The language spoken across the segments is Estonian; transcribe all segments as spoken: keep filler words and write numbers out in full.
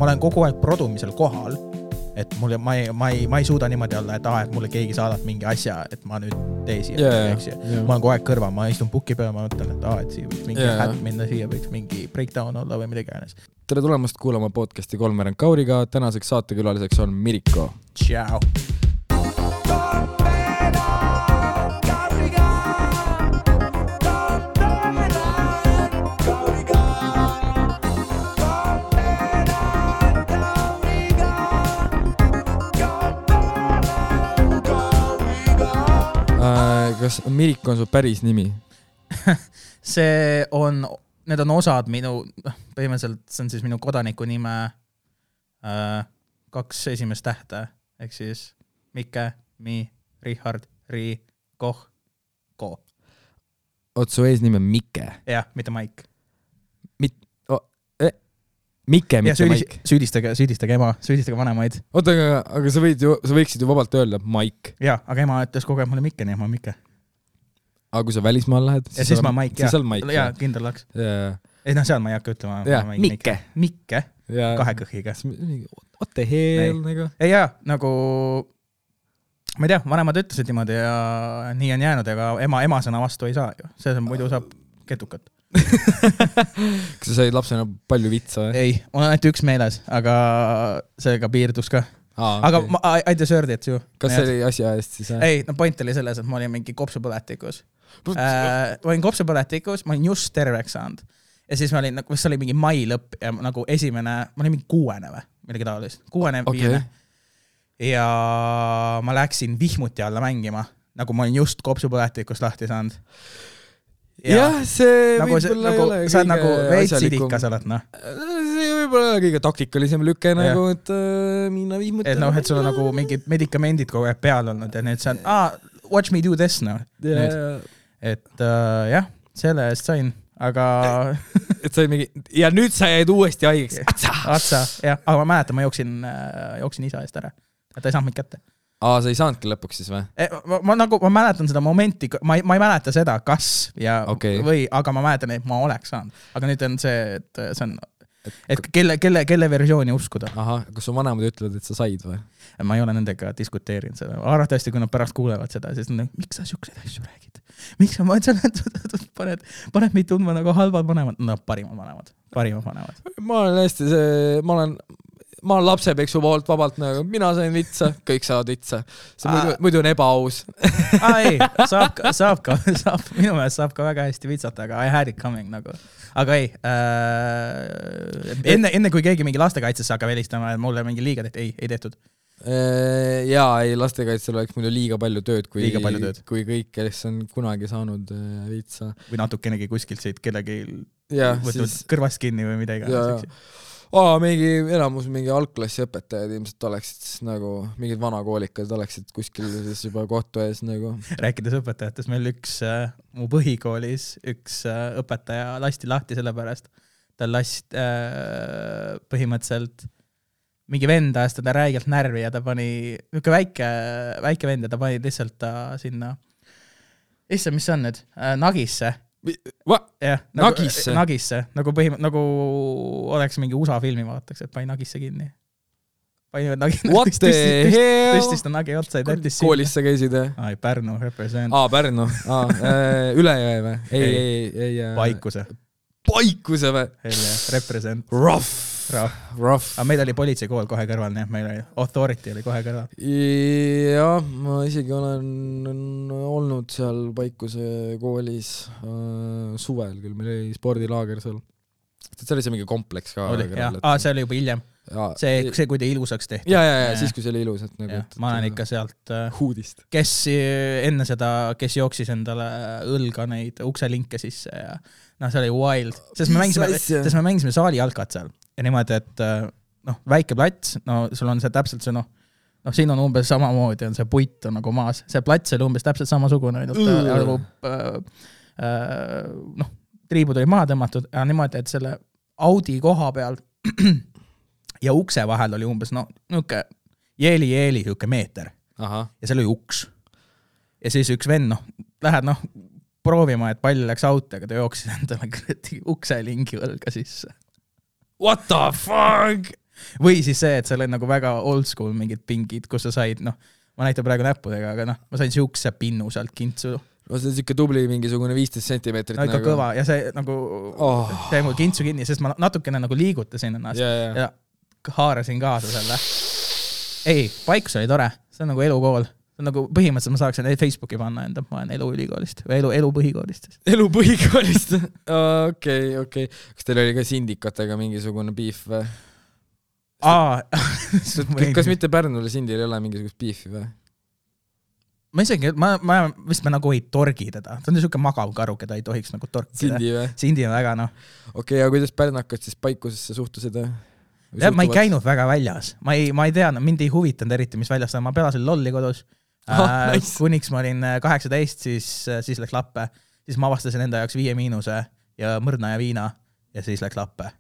ma olen kogu aeg produmisel kohal, et mulle, ma ei, ma ei, ma ei suuda niimoodi olla, et, ah, et mulle keegi saadab mingi asja, et ma nüüd tee siia. Yeah, yeah. Ma olen kogu aeg kõrva, ma istun puki peal, ma mõtlen, et, ah, et siia võiks mingi yeah. hätt minna, siia võiks mingi breakdown olla või midagi äänes. Tere tulemast kuulama podcasti Kolmveerand Kauriga. Tänaseks saatekülaliseks on Miriko. Tšau! Kas Miriko on su päris nimi? see on, need on osad minu, põhimõtteliselt see on siis minu kodaniku nime äh, kaks esimest tähte, ehk siis Mikke, Mi, Richard, Ri, Koh, Ko. Oot, su eesnimi on Mikke? Jah, mitte Maik. Mit, oh, eh, Mikke, mitte süüdis, Maik. Süüdistage, süüdistage ema, süüdistage vanemaid. Oota, aga, aga sa, võid ju, sa võiksid ju vabalt öelda Maik. Jaa, aga ema ütles kogu aeg mulle Mikke, nii ma Mikke. Aga kui sa välismaal lähed? Ja siis ma Maik, jah. Maik, jaa, kindel laks. Yeah. Ei, noh, seal ma ei hakka ütlema. Jaa, Mikke. Mikke, ja. Kahe kõhiga. What the hell, nagu? Ei, jaa, nagu, ma ei tea, vanemad ütlesid niimoodi ja nii on jäänud, aga ema, ema sõna vastu ei saa ju. See on muidu saab ketukat. Kas sa said lapsena palju vitsa? Ei, on ainult üks meeles, aga seega piirdus ka. Aa, aga okay. ma, I deserved it ju. Kas see oli asja eest siis? Ei, no point oli selles, et ma olin mingi kopsupõletikus. Äh, ma olin kopsupõletikus, ma olin just terveks saanud. Ja siis ma olin, nagu, see oli mingi mai lõpp ja nagu esimene, ma olin mingi kuuene või, millegi taolist. Kuuene, okay. Viiene. Ja ma läksin vihmuti alla mängima, nagu ma olin just kopsupõletikust lahti saanud. Ja, jah, see nagu võib-olla nagu, ei ole sa oled nagu veits idikas oled, noh. See võib-olla kõige taktikalisem lüke, ja. Nagu, et äh, minna vihmuti. Et noh, et sul on nagu mingid medikamendid kogu aeg peal olnud ja nüüd see on, ah, watch me do this, noh. Yeah. Et uh, jah, selle eest sain, aga... et sai mingi... Ja nüüd sa jäid uuesti haigeks. Atsa! Atsa, jah. Aga ma mäletan, ma jooksin, jooksin isa eest ära. Et ta ei saanud mind kätte. Aa, sa ei saanudki lõpuks siis või? Ma, ma, nagu, ma mäletan seda momenti, ma ei, ma ei mäleta seda, kas ja okay. Või, aga ma mäletan, et ma oleks saanud. Aga nüüd on see, et see on... Et kelle, kelle, kelle versiooni uskuda. Aha, kas su vanemad ütlevad, et sa said või? Ma ei ole nendega diskuteerinud seda. Arvatavasti, kui nad pärast kuulevad seda, siis on, miks sa siukseid asju räägid? Miks sa paned, paned meid tundma nagu halvad vanemad? No parimad vanemad. Parimad vanemad. Ma olen hästi see, ma olen, ma olen lapsepeksu poolt vabalt nagu, mina sain vitsa, kõik saavad vitsa. See muidu, muidu on ebaaus. Aa, ei, saab ka, saab ka, saab, minu meelest saab ka väga hästi vitsata, aga I had it coming nagu. Aga ei, äh, enne, enne kui keegi mingi lastekaitsesse hakkab helistama, et mulle mingi liiga tehti, ei, ei tehtud. Jaa, ei, lastekaitsel oleks muidu liiga palju tööd, kui, liiga palju tööd. Kui kõik, kes on kunagi saanud vitsa. Või natukenegi kuskilt siit kellegi ja, võtnud siis... kõrvast kinni või midagi. Aa, mingi elamus, mingi algklassi õpetajad ilmselt oleksid siis nagu, mingid vanakoolikad oleksid kuskil siis juba kohtu ees nagu. Rääkides õpetajatest, meil üks äh, mu põhikoolis üks äh, õpetaja lasti lahti selle pärast. Ta last äh, põhimõtteliselt mingi vend ajas teda räigelt närvi ja ta pani, niuke väike, väike vend ja ta pani lihtsalt ta sinna, issa, mis see on nüüd, äh, nagisse. Yeah, nagu, nagisse? Nagisse, nagu, põhim-, nagu oleks mingi U S A filmi vaataks, et pani nagisse kinni. Pani nagisse, What the hell? Tõstis ta nagi otsa. Koolis sa käisid? Ai, Pärnu, represent. Aa, Pärnu. Aa, äh, Ülejõe või? Ei, ei, ei. ei Paikuse. Paikuse või? Represent. Rough. Rough. Rough. Aga meil oli politseikool kohe kõrval, nii et meil oli authority oli kohe kõrval. Jah, ma isegi olen olnud seal Paikuse koolis äh, suvel küll, meil oli spordilaager seal. See oli see mingi kompleks ka. Oli, jah, Aa, see oli juba hiljem. See, see, kui te ilusaks tehti. Ja, ja, ja, siis kui see oli ilus. Et nagu, ja, ma olen ikka sealt huudist. Kes enne seda, kes jooksis endale õlga neid ukselinke sisse ja noh, see oli wild. Sest me mängisime, sest me mängisime saali jalkat seal. Ja niimoodi, et noh, väike plats, no sul on see täpselt see noh, noh, siin on umbes samamoodi, on see puit on nagu maas. See plats oli umbes täpselt samasugune, nagu äh, äh, noh, triibud oli maha tõmmatud ja niimoodi, et selle Audi koha peal ja ukse vahel oli umbes no, niuke jeeli-jeeli niuke meeter. Aha. Ja seal oli uks. Ja siis üks venn, noh, lähed noh, proovima, et pall läks auto, aga ta jooksis endale ukse lingi õlga sisse. What the fuck? või siis see, et seal on nagu väga old school mingid pingid, kus sa said, noh, ma näitan praegu näppudega, aga noh, ma sain siukse pinnu sealt kintsu. No see on siuke tubli mingisugune viisteist sentimeetrit. No ikka nagu... kõva ja see nagu oh. see mul kintsu kinni, sest ma natukene nagu liigutasin ennast yeah, yeah. ja haarasin kaasa selle. Ei, paikus oli tore, see on nagu elukool. See on nagu põhimõtteliselt ma saaksin Facebooki panna enda, ma olen elu ülikoolist või elu, elu põhikoolist. Elu põhikoolist? Okei, okei. Kas teil oli ka sindikatega mingisugune beef või? Aa. Kas mitte Pärnule sindil ei ole mingisugust beefi või? Ma isegi, ma, ma vist me nagu ei torgi teda. Ta on niisugune magav karu, keda ei tohiks nagu torkida. Sindi või? Sindi on väga, noh. Okei, aga kuidas pärnakad siis paikusesse suhtusid? Ja, ma ei käinud väga väljas. Ma ei, ma ei tea, mind ei huvitanud eriti, mis väljas. Ma pelasin lolli kodus. Oh, äh, nice. Kuniks ma olin kaheksateist, siis, siis läks lappe. Siis ma avastasin enda jaoks viie miinuse ja mõrna ja viina ja siis läks lappe.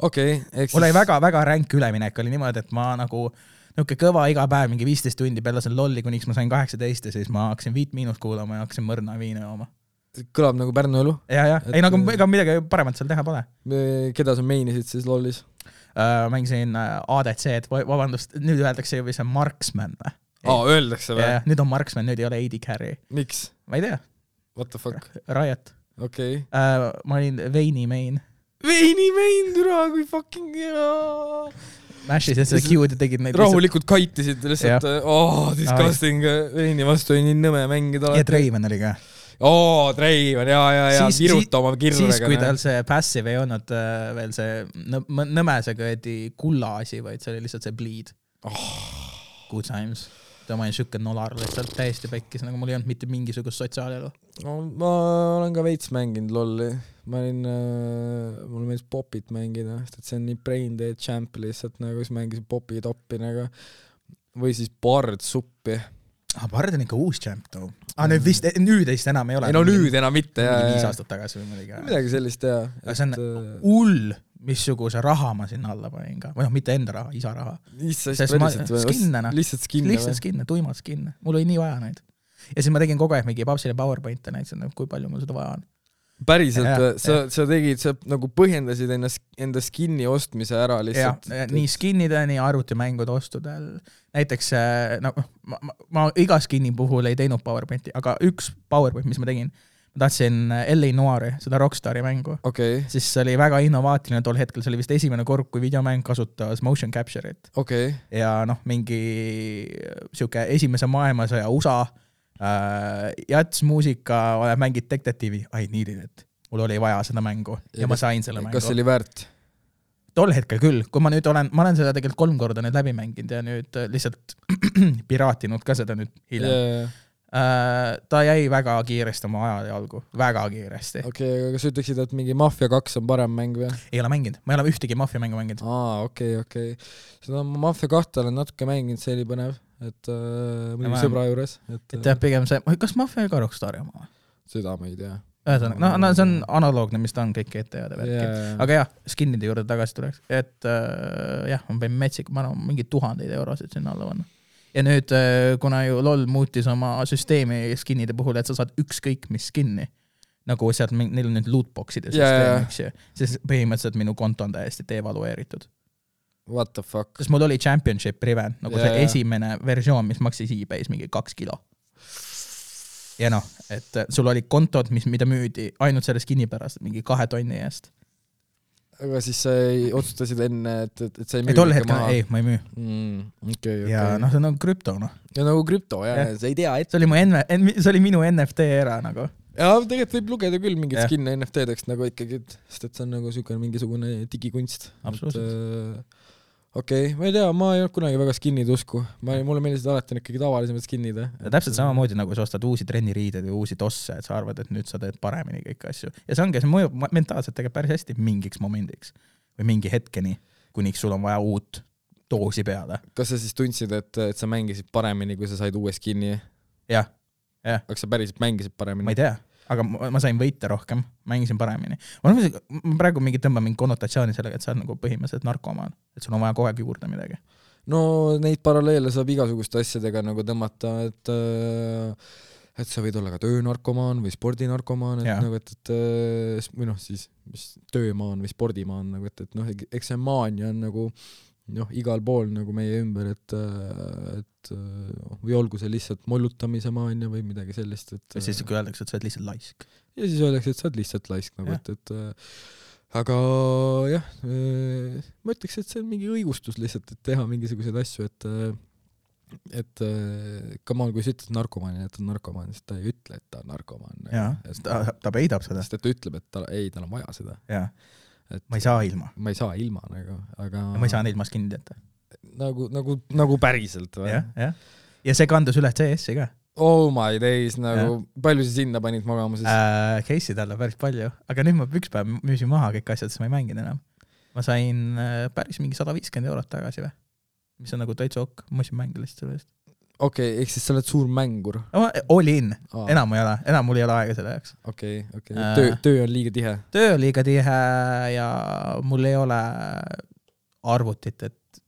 Okei. Eks... Mul oli väga, väga ränk üleminek. Oli niimoodi, et ma nagu... Nuke kõva iga päev, mingi viisteist tundi pelasin lolli, kuniks ma sain kaheksateist ja siis ma hakkasin viit miinust kuulama ja hakkasin mõrna ja viina jooma. Kõlab nagu Pärnu elu. Ja, ja. Et... Ei, nagu ega midagi paremat seal teha pole. Keda sa meinisid siis lollis? Uh, mängisin A D C-d, vabandust, nüüd öeldakse ju või see Marksman. Aa, öeldakse või? Ja, nüüd on Marksman, nüüd ei ole A D Carry. Miks? Ma ei tea. What the fuck? Riot. Okei. Okay. Uh, ma olin Veini main. Veini main, türa, kui fucking hea. Mashis ja seda Q-d tegid neid rahulikult lihtsalt... kaitisid lihtsalt, oh, disgusting, Veini vastu oli nii nõme mängida. Ja Draven oli ka. Oo, Draven, ja, ja, ja, viruta oma kirvega. Siis, kui tal see passive ei olnud äh, veel see nõmesega edi kulla asi, vaid see oli lihtsalt see bleed. Oh. Good times. Ta ma olin sükke nolar lihtsalt täiesti pekkis, nagu mul ei olnud mitte mingisugust sotsiaalelu. No, ma olen ka veits mänginud lolli. Ma olin, äh, mul meeldis popit mängida, sest see on nii brain dead champ lihtsalt, nagu siis mängisin popi toppi nagu, või siis bard suppi. Ah, bard on ikka uus champ too. Ah, nüüd vist, nüüd eist enam ei ole. Ei, no nüüd enam mitte, jah. Viis aastat tagasi või midagi. Midagi sellist, jah. See on hull, missuguse raha ma sinna alla panin ka. Või noh, mitte enda raha, isa raha. Lihtsalt skinne, lihtsalt skinne. Lihtsalt skinne, tuimad skinne. Mul oli nii vaja neid. Ja siis ma tegin kogu aeg mingi papsile PowerPointe näitasin, kui palju mul seda vaja on. Päriselt, ja, sa, ja. sa tegid, sa nagu põhjendasid enda, enda skinni ostmise ära lihtsalt. Ja, nii skinnide, nii arvutimängude ostudel. Näiteks, no, ma, ma, ma iga skinni puhul ei teinud PowerPointi, aga üks PowerPoint, mis ma tegin, ma tahtsin L A Noiri, seda Rockstari mängu. Okay. Siis see oli väga innovaatiline tol hetkel, see oli vist esimene kord, kui videomäng kasutas motion capture'it. Okay. Ja noh, mingi siuke esimese maailmasõja U S A Uh, jats muusika, mängid detektiivi, I needed it. Mul oli vaja seda mängu ja, ja ma sain selle mängu. Kas see oli väärt? Tol hetkel küll, kui ma nüüd olen, ma olen seda tegelikult kolm korda nüüd läbi mänginud ja nüüd lihtsalt piraatinud ka seda nüüd hiljem. Yeah. Uh, ta jäi väga kiiresti oma aja jalgu, väga kiiresti. Okei, okay, aga kas ütleksid, et mingi Mafia kaks on parem mäng või? Ei ole mänginud, ma ei ole ühtegi Mafia mängu mänginud. Aa, okei, okay, okei. Okay. Seda Mafia kahte olen natuke mänginud, see oli põnev. Et äh, mõni sõbra juures. Et, et jah, pigem see, kas Mafia ei ka Rockstari oma? Seda ma ei tea. Ühesõnaga, no, no see on analoogne, mis ta on kõik G T A-de värki. Yeah. Aga jah, skinnide juurde tagasi tuleks. Et äh, jah, ma pein metsik, ma arvan, mingi tuhandeid eurosid sinna alla vanna. Ja nüüd, äh, kuna ju LOL muutis oma süsteemi skinnide puhul, et sa saad ükskõik mis skinni, nagu sealt neil on nüüd lootboxide yeah. süsteem, eks, siis põhimõtteliselt minu konto on täiesti devalueeritud. What the fuck? Sest mul oli Championship Riven, nagu yeah, see esimene versioon, mis maksis eBay's mingi kaks kilo. Ja noh, et sul oli kontod, mis, mida müüdi ainult selle skinni pärast, mingi kahe tonni eest. Aga siis sa ei otsustasid enne, et, et, et sa ei müü? Ei, tol hetkel, ei, ma ei müü. Mm, okay, okay. Ja noh, see on nagu krüpto, noh. Ja nagu krüpto, jah, ja. Sa ei tea, et... See oli, mu N- see oli minu N F T era, nagu. Ja tegelikult võib lugeda küll mingit skinne N F T-deks, nagu ikkagi, sest et see on nagu süükene mingisugune digikunst. Absoluutselt. Et, okei, okay, ma ei tea, ma ei olnud kunagi väga skinnid usku. Ma, mulle meeldisid alati ikkagi tavalisemad skinnid. Ja täpselt samamoodi, nagu sa ostad uusi trenniriided või uusi tosse, et sa arvad, et nüüd sa teed paremini kõik asju. Ja see ongi, see mõjub mentaalselt tegelikult päris hästi mingiks momendiks või mingi hetkeni, kuniks sul on vaja uut doosi peale. Kas sa siis tundsid, et, et sa mängisid paremini, kui sa said uue skinni? Jah, jah. Aga sa päriselt mängisid paremini? Ma ei tea. Aga ma sain võita rohkem, mängisin paremini. Ma, ma praegu mingi tõmba mingi konnotatsiooni sellega, et sa oled nagu põhimõtteliselt narkomaan, et sul on vaja kogu aeg juurde midagi. No neid paralleele saab igasuguste asjadega nagu tõmmata, et, et sa võid olla ka töönarkomaan või spordinarkomaan, et, nagu, et, et või noh, siis mis töömaan või spordimaan, nagu, et, et noh, eks see maania on nagu noh, igal pool nagu meie ümber, et, et või olgu see lihtsalt mollutamise maania või midagi sellist, et ja siis kui öeldakse, et sa oled lihtsalt laisk. Ja siis öeldakse, et sa oled lihtsalt laisk nagu, et, et aga jah, ma ütleks, et see on mingi õigustus lihtsalt, et teha mingisuguseid asju, et et kamal, kui sa ütled narkomaani, et ta on narkomaan, siis ta ei ütle, et ta on narkomaan. Jaa, ta, ta peidab seda. Sest et ta ütleb, et ta, ei, tal on vaja seda. Jaa, ma ei saa ilma. Ma ei saa ilma, nagu, aga... Ja ma ei saa ilmas kinni teata. Nagu, nagu, nagu päriselt. Jah, jah. Ja see kandus üle C S-i ka. Oh my days, nagu ja. Palju sa sinna panid magama siis? Äh, Case'id alla päris palju, aga nüüd ma üks päev müüsin maha kõik asjad, siis ma ei mänginud enam. Ma sain päris mingi sada viiskümmend eurot tagasi või? Mis on nagu täitsa ok, ma mõtlesin mängida lihtsalt selle eest. Okei, okay, ehk siis sa oled suur mängur. Oli in, Aa. enam ei ole, enam mul ei ole aega selle jaoks. Okei, okay, okei. Okay. Töö, töö on liiga tihe? Töö on liiga tihe ja mul ei ole arvutit, et,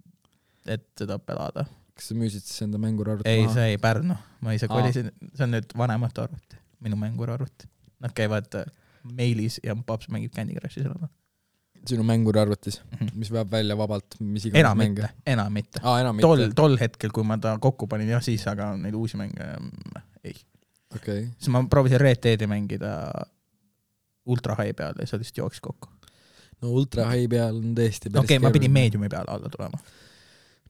et seda pelada. Kas sa müüsid siis enda mängurarvuti ei, maha? Ei, see ei Pärnu. Ma ise kolisin, see on nüüd vanemate arvuti, minu mängurarvuti. Nad käivad meilis ja paps mängib Candy Crushi selle. Sinu mängurarvutis, mm-hmm. mis veab välja vabalt, mis iganes enam mänge? Mitte, enam mitte. Aa, enam mitte. Tol, tol hetkel, kui ma ta kokku panin, jah siis, aga neid uusi mänge ei. Okay. Siis ma proovisin Red Deadi mängida ultra high peal ja see lihtsalt jooksis kokku. No ultra high peal on tõesti päris Okei, okay, ma pidin mediumi peal alla tulema.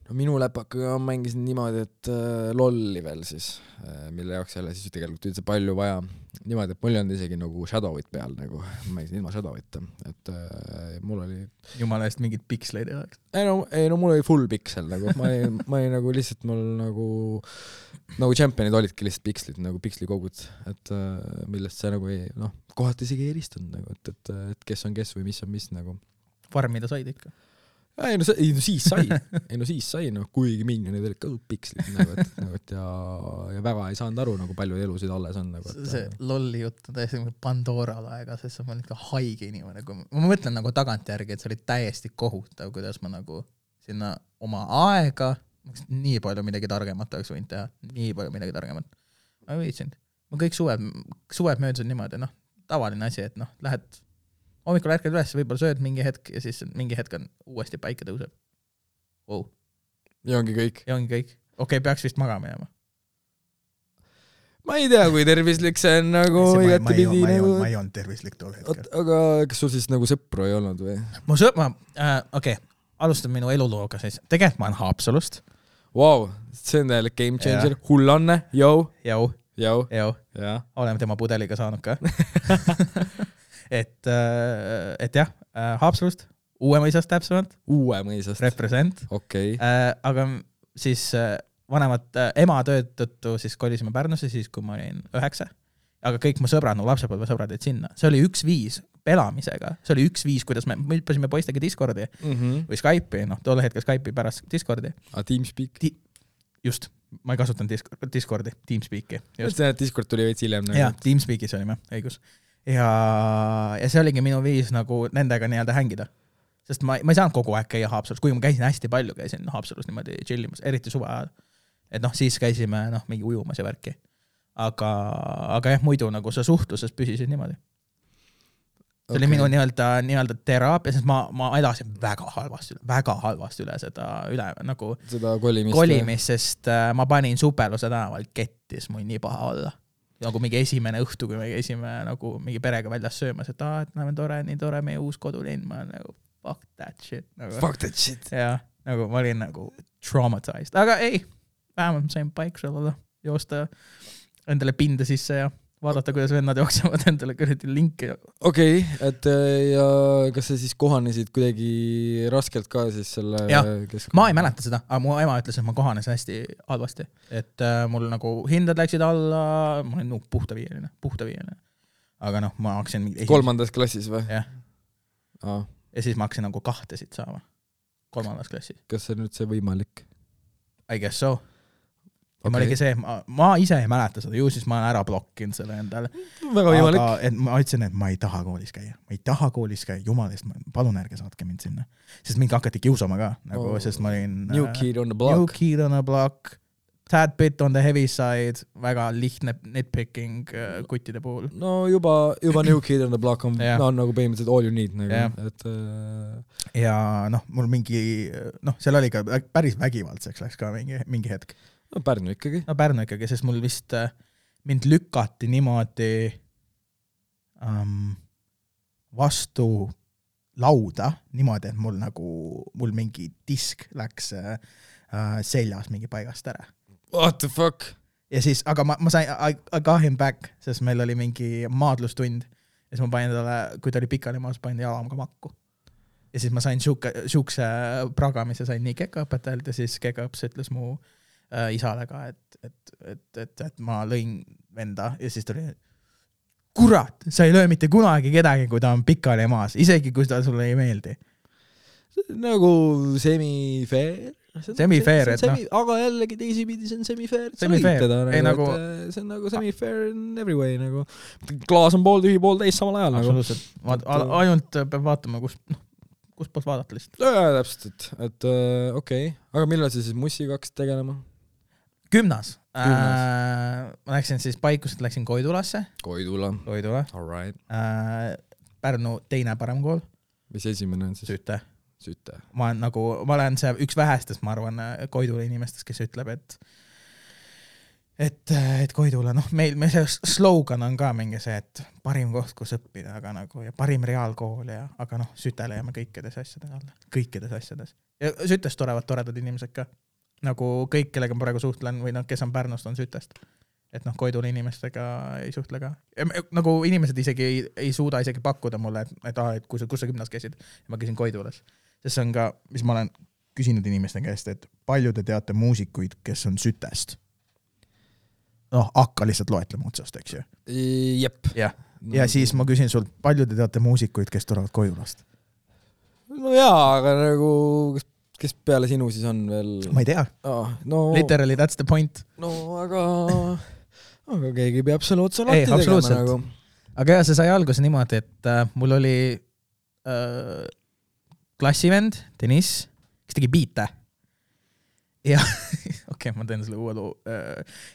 No minu läpakaga mängisin niimoodi, et äh, lolli veel siis, äh, mille jaoks jälle siis tegelikult üldse palju vaja. Niimoodi, et mul ei olnud isegi nagu Shadowit peal, nagu ma mängisin ilma Shadowita, et äh, mul oli... Jumala eest mingid piksleid ei oleks. Ei no, ei no mul oli full piksel, nagu ma ei, ma ei nagu lihtsalt mul nagu nagu championid olidki lihtsalt pikslid, nagu pikslikogud, et äh, millest see nagu ei, noh, kohati isegi ei eristunud, nagu, et, et, et kes on kes või mis on mis, nagu. Farmida said ikka. Ei no, ei no siis sai, ei no siis sai, no kuigi minionid olid ka pikslid, nagu, et, nagu, et ja, ja väga ei saanud aru, nagu palju elusid alles on. Nagu, et, see lolli jutt on täiesti Pandora laega, sest ma olin ka haige inimene. Ma mõtlen nagu tagantjärgi, et see oli täiesti kohutav, kuidas ma nagu sinna oma aega, nii palju midagi targemat oleks võinud teha, nii palju midagi targemat. Ma ei võitsin. Ma kõik suved, suved möödusid niimoodi, noh, tavaline asi, et noh, lähed hommikul ärkad üles, võib-olla sööd mingi hetk ja siis mingi hetk on uuesti päike tõuseb. Wow. Ja ongi kõik. Ja ongi kõik. Okei, okay, peaks vist magama jääma. Ma ei tea, kui tervislik see on nagu... See, ma, ma, ei, ma, ei, ma ei olnud tervislik tol hetkel. Aga kas sul siis nagu sõpru ei olnud või? Mu sõpra... Äh, Okei, okay. Alustan minu elulooga siis. Tegelikult ma olen Haapsalust. Wow, see on täielik game changer. Ja. Hullanne, jau. Jau. Jau. Jau. Ja. Oleme tema pudeliga saanud ka. et, et jah, Haapsalust, Uuemõisast täpsemalt. Uuemõisast. Represent. Okei. Okay. Aga siis vanemad ema tööd tõttu siis kolisime Pärnusse siis, kui ma olin üheksa. Aga kõik mu sõbrad, no lapsepõlve sõbrad jäid sinna. See oli üks viis pelamisega. See oli üks viis, kuidas me hüppasime poistega Discordi mm-hmm. või Skype'i, noh, tolle hetkel Skype'i pärast Discordi. A Teamspeak? Ti- just, ma ei kasutanud Discordi, Teamspeaki. See Discord tuli veits hiljem. Jah, Teamspeakis olime, õigus. Ja, ja see oligi minu viis nagu nendega nii-öelda hängida. Sest ma, ma ei saanud kogu aeg käia Haapsalus, kui ma käisin hästi palju, käisin Haapsalus niimoodi chillimas, eriti suve ajal. Et noh, siis käisime noh, mingi ujumas ja värki. Aga, aga jah, muidu nagu sa suhtluses püsisid niimoodi. See okay. oli minu nii-öelda, nii-öelda teraapia, sest ma, ma elasin väga halvasti, väga halvasti üle seda üle, nagu seda kolimist, kolimist sest äh, ma panin Superluse tänaval kettis mul nii paha olla. Nagu mingi esimene õhtu, kui me käisime nagu mingi perega väljas söömas, et aa, et näeme tore, nii tore meie uus kodulinn, ma nagu fuck that shit. Nagu, fuck that shit. Ja, nagu ma olin nagu traumatized. Aga ei, vähemalt ma sain paiksel olla, joosta endale pinda sisse ja vaadata, kuidas vennad jooksevad endale kõrdi linki. Okei, okay, et ja kas sa siis kohanesid kuidagi raskelt ka siis selle keskkonna? Ma ei mäleta seda, aga mu ema ütles, et ma kohanesin hästi halvasti. Et äh, mul nagu hindad läksid alla, ma olin no, puhta viieline, puhta viieline. Aga noh, ma hakkasin... Kolmandas klassis või? Jah. Ah. Ja siis ma hakkasin nagu kahtesid saama. Kolmandas klassis. Kas see nüüd see võimalik? I guess so. Ja okay. Ma oligi see, ma, ma ise ei mäleta seda, ju siis ma olen ära blokkinud selle endale. Väga võimalik. Aga et ma ütlesin, et ma ei taha koolis käia. Ma ei taha koolis käia, jumalist, palun ärge saatke mind sinna. Sest mingi hakati kiusama ka, nagu, oh. Sest ma olin... New kid on the block. New kid on the block. tad bit on the heavy side, väga lihtne nitpicking kuttide puhul. No juba, juba New Kid on the Block on, yeah. no, on nagu põhimõtteliselt all you need nagu, yeah. et äh... ja noh, mul mingi, noh, seal oli ka päris vägivaldseks läks ka mingi, mingi hetk. No Pärnu ikkagi. No Pärnu ikkagi, sest mul vist mind lükati niimoodi um, vastu lauda, niimoodi, et mul nagu, mul mingi disk läks uh, seljas mingi paigast ära. What the fuck? Ja siis, aga ma, ma sain, I, I got him back, sest meil oli mingi maadlustund ja siis ma panin talle, kui ta oli pikali maas, panin jalam ka makku. Ja siis ma sain šuke, šukse pragamise, sain nii kekaõpetajalt ja siis kekaõps ütles mu äh, isale ka, et, et, et, et, et ma lõin venda ja siis ta oli, kurat, sa ei löö mitte kunagi kedagi, kui ta on pikali maas, isegi kui ta sulle ei meeldi. Nagu semi-fair. Semi-fair, et noh. Aga jällegi teisipidi see on semi-fair. Semi-fair. Nagu, nagu... see on nagu semi-fair in every way. Nagu. Klaas on pool tühi, pool täis samal ajal. Absoluutselt. Nagu. Ainult peab vaatama, kus, noh, kus poolt vaadata lihtsalt. Ja, täpselt, et, et uh, okei. Okay. Aga millal sa siis mussiga hakkasid tegelema? Kümnas. Äh, ma läksin siis paikuselt, läksin Koidulasse. Koidula. Koidula. All right. Äh, Pärnu teine parem kool. Mis esimene on siis? Süüte. Süüte. Ma olen nagu, ma olen see üks vähestest, ma arvan, Koidula inimestest, kes ütleb, et et, et Koidula, noh, meil, meil see slogan on ka mingi see, et parim koht, kus õppida, aga nagu, ja parim reaalkool ja, aga noh, Sütele jääme kõikides asjades alla. Kõikides asjades. Ja Sütest torevad toredad inimesed ka. Nagu kõik, kellega ma praegu suhtlen või noh, kes on Pärnust, on Sütest. Et noh, Koidula inimestega ei suhtle ka. Ja, nagu inimesed isegi ei, ei suuda isegi pakkuda mulle, et, et, ah, et kus, kus sa gümnas käisid. Ja ma käisin Koidulas. Sest see on ka, mis ma olen küsinud inimeste käest, et palju te teate muusikuid, kes on Sütest? Noh, hakka lihtsalt loetlema otsast, eks ju? Jep. Ja, ja siis ma küsin sult, palju te teate muusikuid, kes tulevad Koidulast? No jaa, aga nagu, kes, kes peale sinu siis on veel? Ma ei tea. Ah, no... Literally, that's the point. No, aga, aga keegi peab selle otsa lahti tegema. Absoluutselt. Nagu. Aga jah, see sai alguse niimoodi, et äh, mul oli... Äh, klassivend, Deniss, kes tegi biite. Ja, okei, okay, ma teen selle uue loo.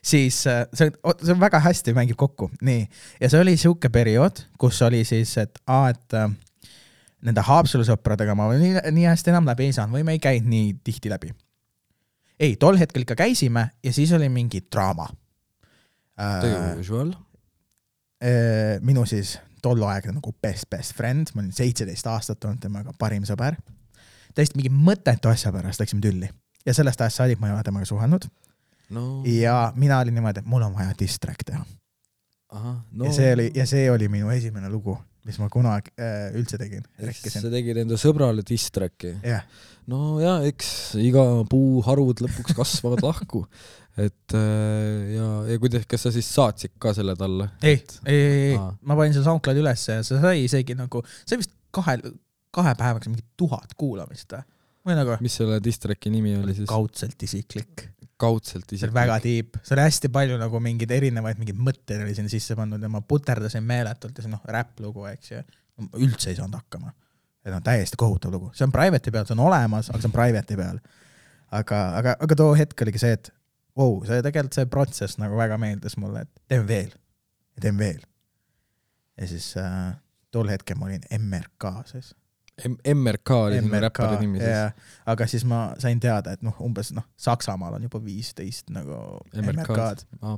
Siis see on, see on väga hästi mängib kokku. Nii. Ja see oli siuke periood, kus oli siis, et, a, et nende Haapsalusõpradega ma nii, nii hästi enam läbi ei saanud või me ei käinud nii tihti läbi. Ei, tol hetkel ikka käisime ja siis oli mingi draama. Usual? Minu siis tolluaegne nagu best best friend, ma olin seitseteist aastat olnud temaga parim sõber. Täiesti mingi mõtetu asja pärast läksime tülli. Ja sellest ajast saadik ma ei ole temaga suhelnud. No. Ja mina olin niimoodi, et mul on vaja distrack teha. Aha, no. ja, see oli, ja see oli minu esimene lugu, mis ma kunagi äh, üldse tegin. Sa tegid enda sõbrale distracki? Yeah. No ja, eks iga puu harud lõpuks kasvavad lahku. Et ja, ja kuidas, kas sa siis saatsid ka selle talle? Ei, ei, ei, ei. Ma panin selle SoundCloud üles ja see sai isegi nagu, see vist kahe, kahe päevaks mingi tuhat kuulamist. Nagu, mis selle distracki nimi oli siis? Kaudselt isiklik. Kaudselt isiklik. See oli väga tiip. See oli hästi palju nagu mingid erinevaid mingid mõtteid oli sinna sisse pannud ja ma puterdasin meeletult ja see noh, rap-lugu, eks ju. Üldse ei saanud hakkama. Et on täiesti kohutav lugu. See on private'i peal, see on olemas, aga see on private'i peal. Aga, aga, aga too hetk oligi see, et wow, see tegelikult see protsess nagu väga meeldis mulle, et teen veel ja teen veel. Ja siis äh, tol hetkel ma olin M R K siis. M R K oli sinu räppari nimi siis? Yeah. Aga siis ma sain teada, et noh, umbes noh, Saksamaal on juba viisteist nagu M R K-d. Ah.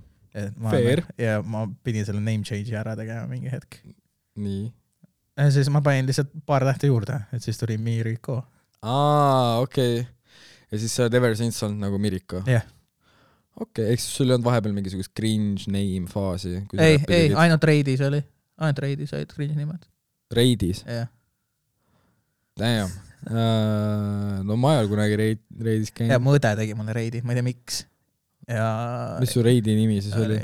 Ma, Fair. Ja ma pidin selle name change'i ära tegema mingi hetk. Nii. Ja siis ma panin lihtsalt paar tähte juurde, et siis tuli Miriko. Aa, okei. Okay. Ja siis sa oled ever since olnud nagu Miriko? Jah. Yeah. Okei, okay. Eks sul ei olnud vahepeal mingisugust cringe name faasi? Ei, ei, ainult Reidis oli. Ainult Reidis olid cringe nimed. Reidis? Jah. Yeah. Damn. Uh, no ma ei ole kunagi reid, Reidis käinud. Ja mu õde tegi mulle Reidi, ma ei tea miks. Ja mis su Reidi nimi siis oli?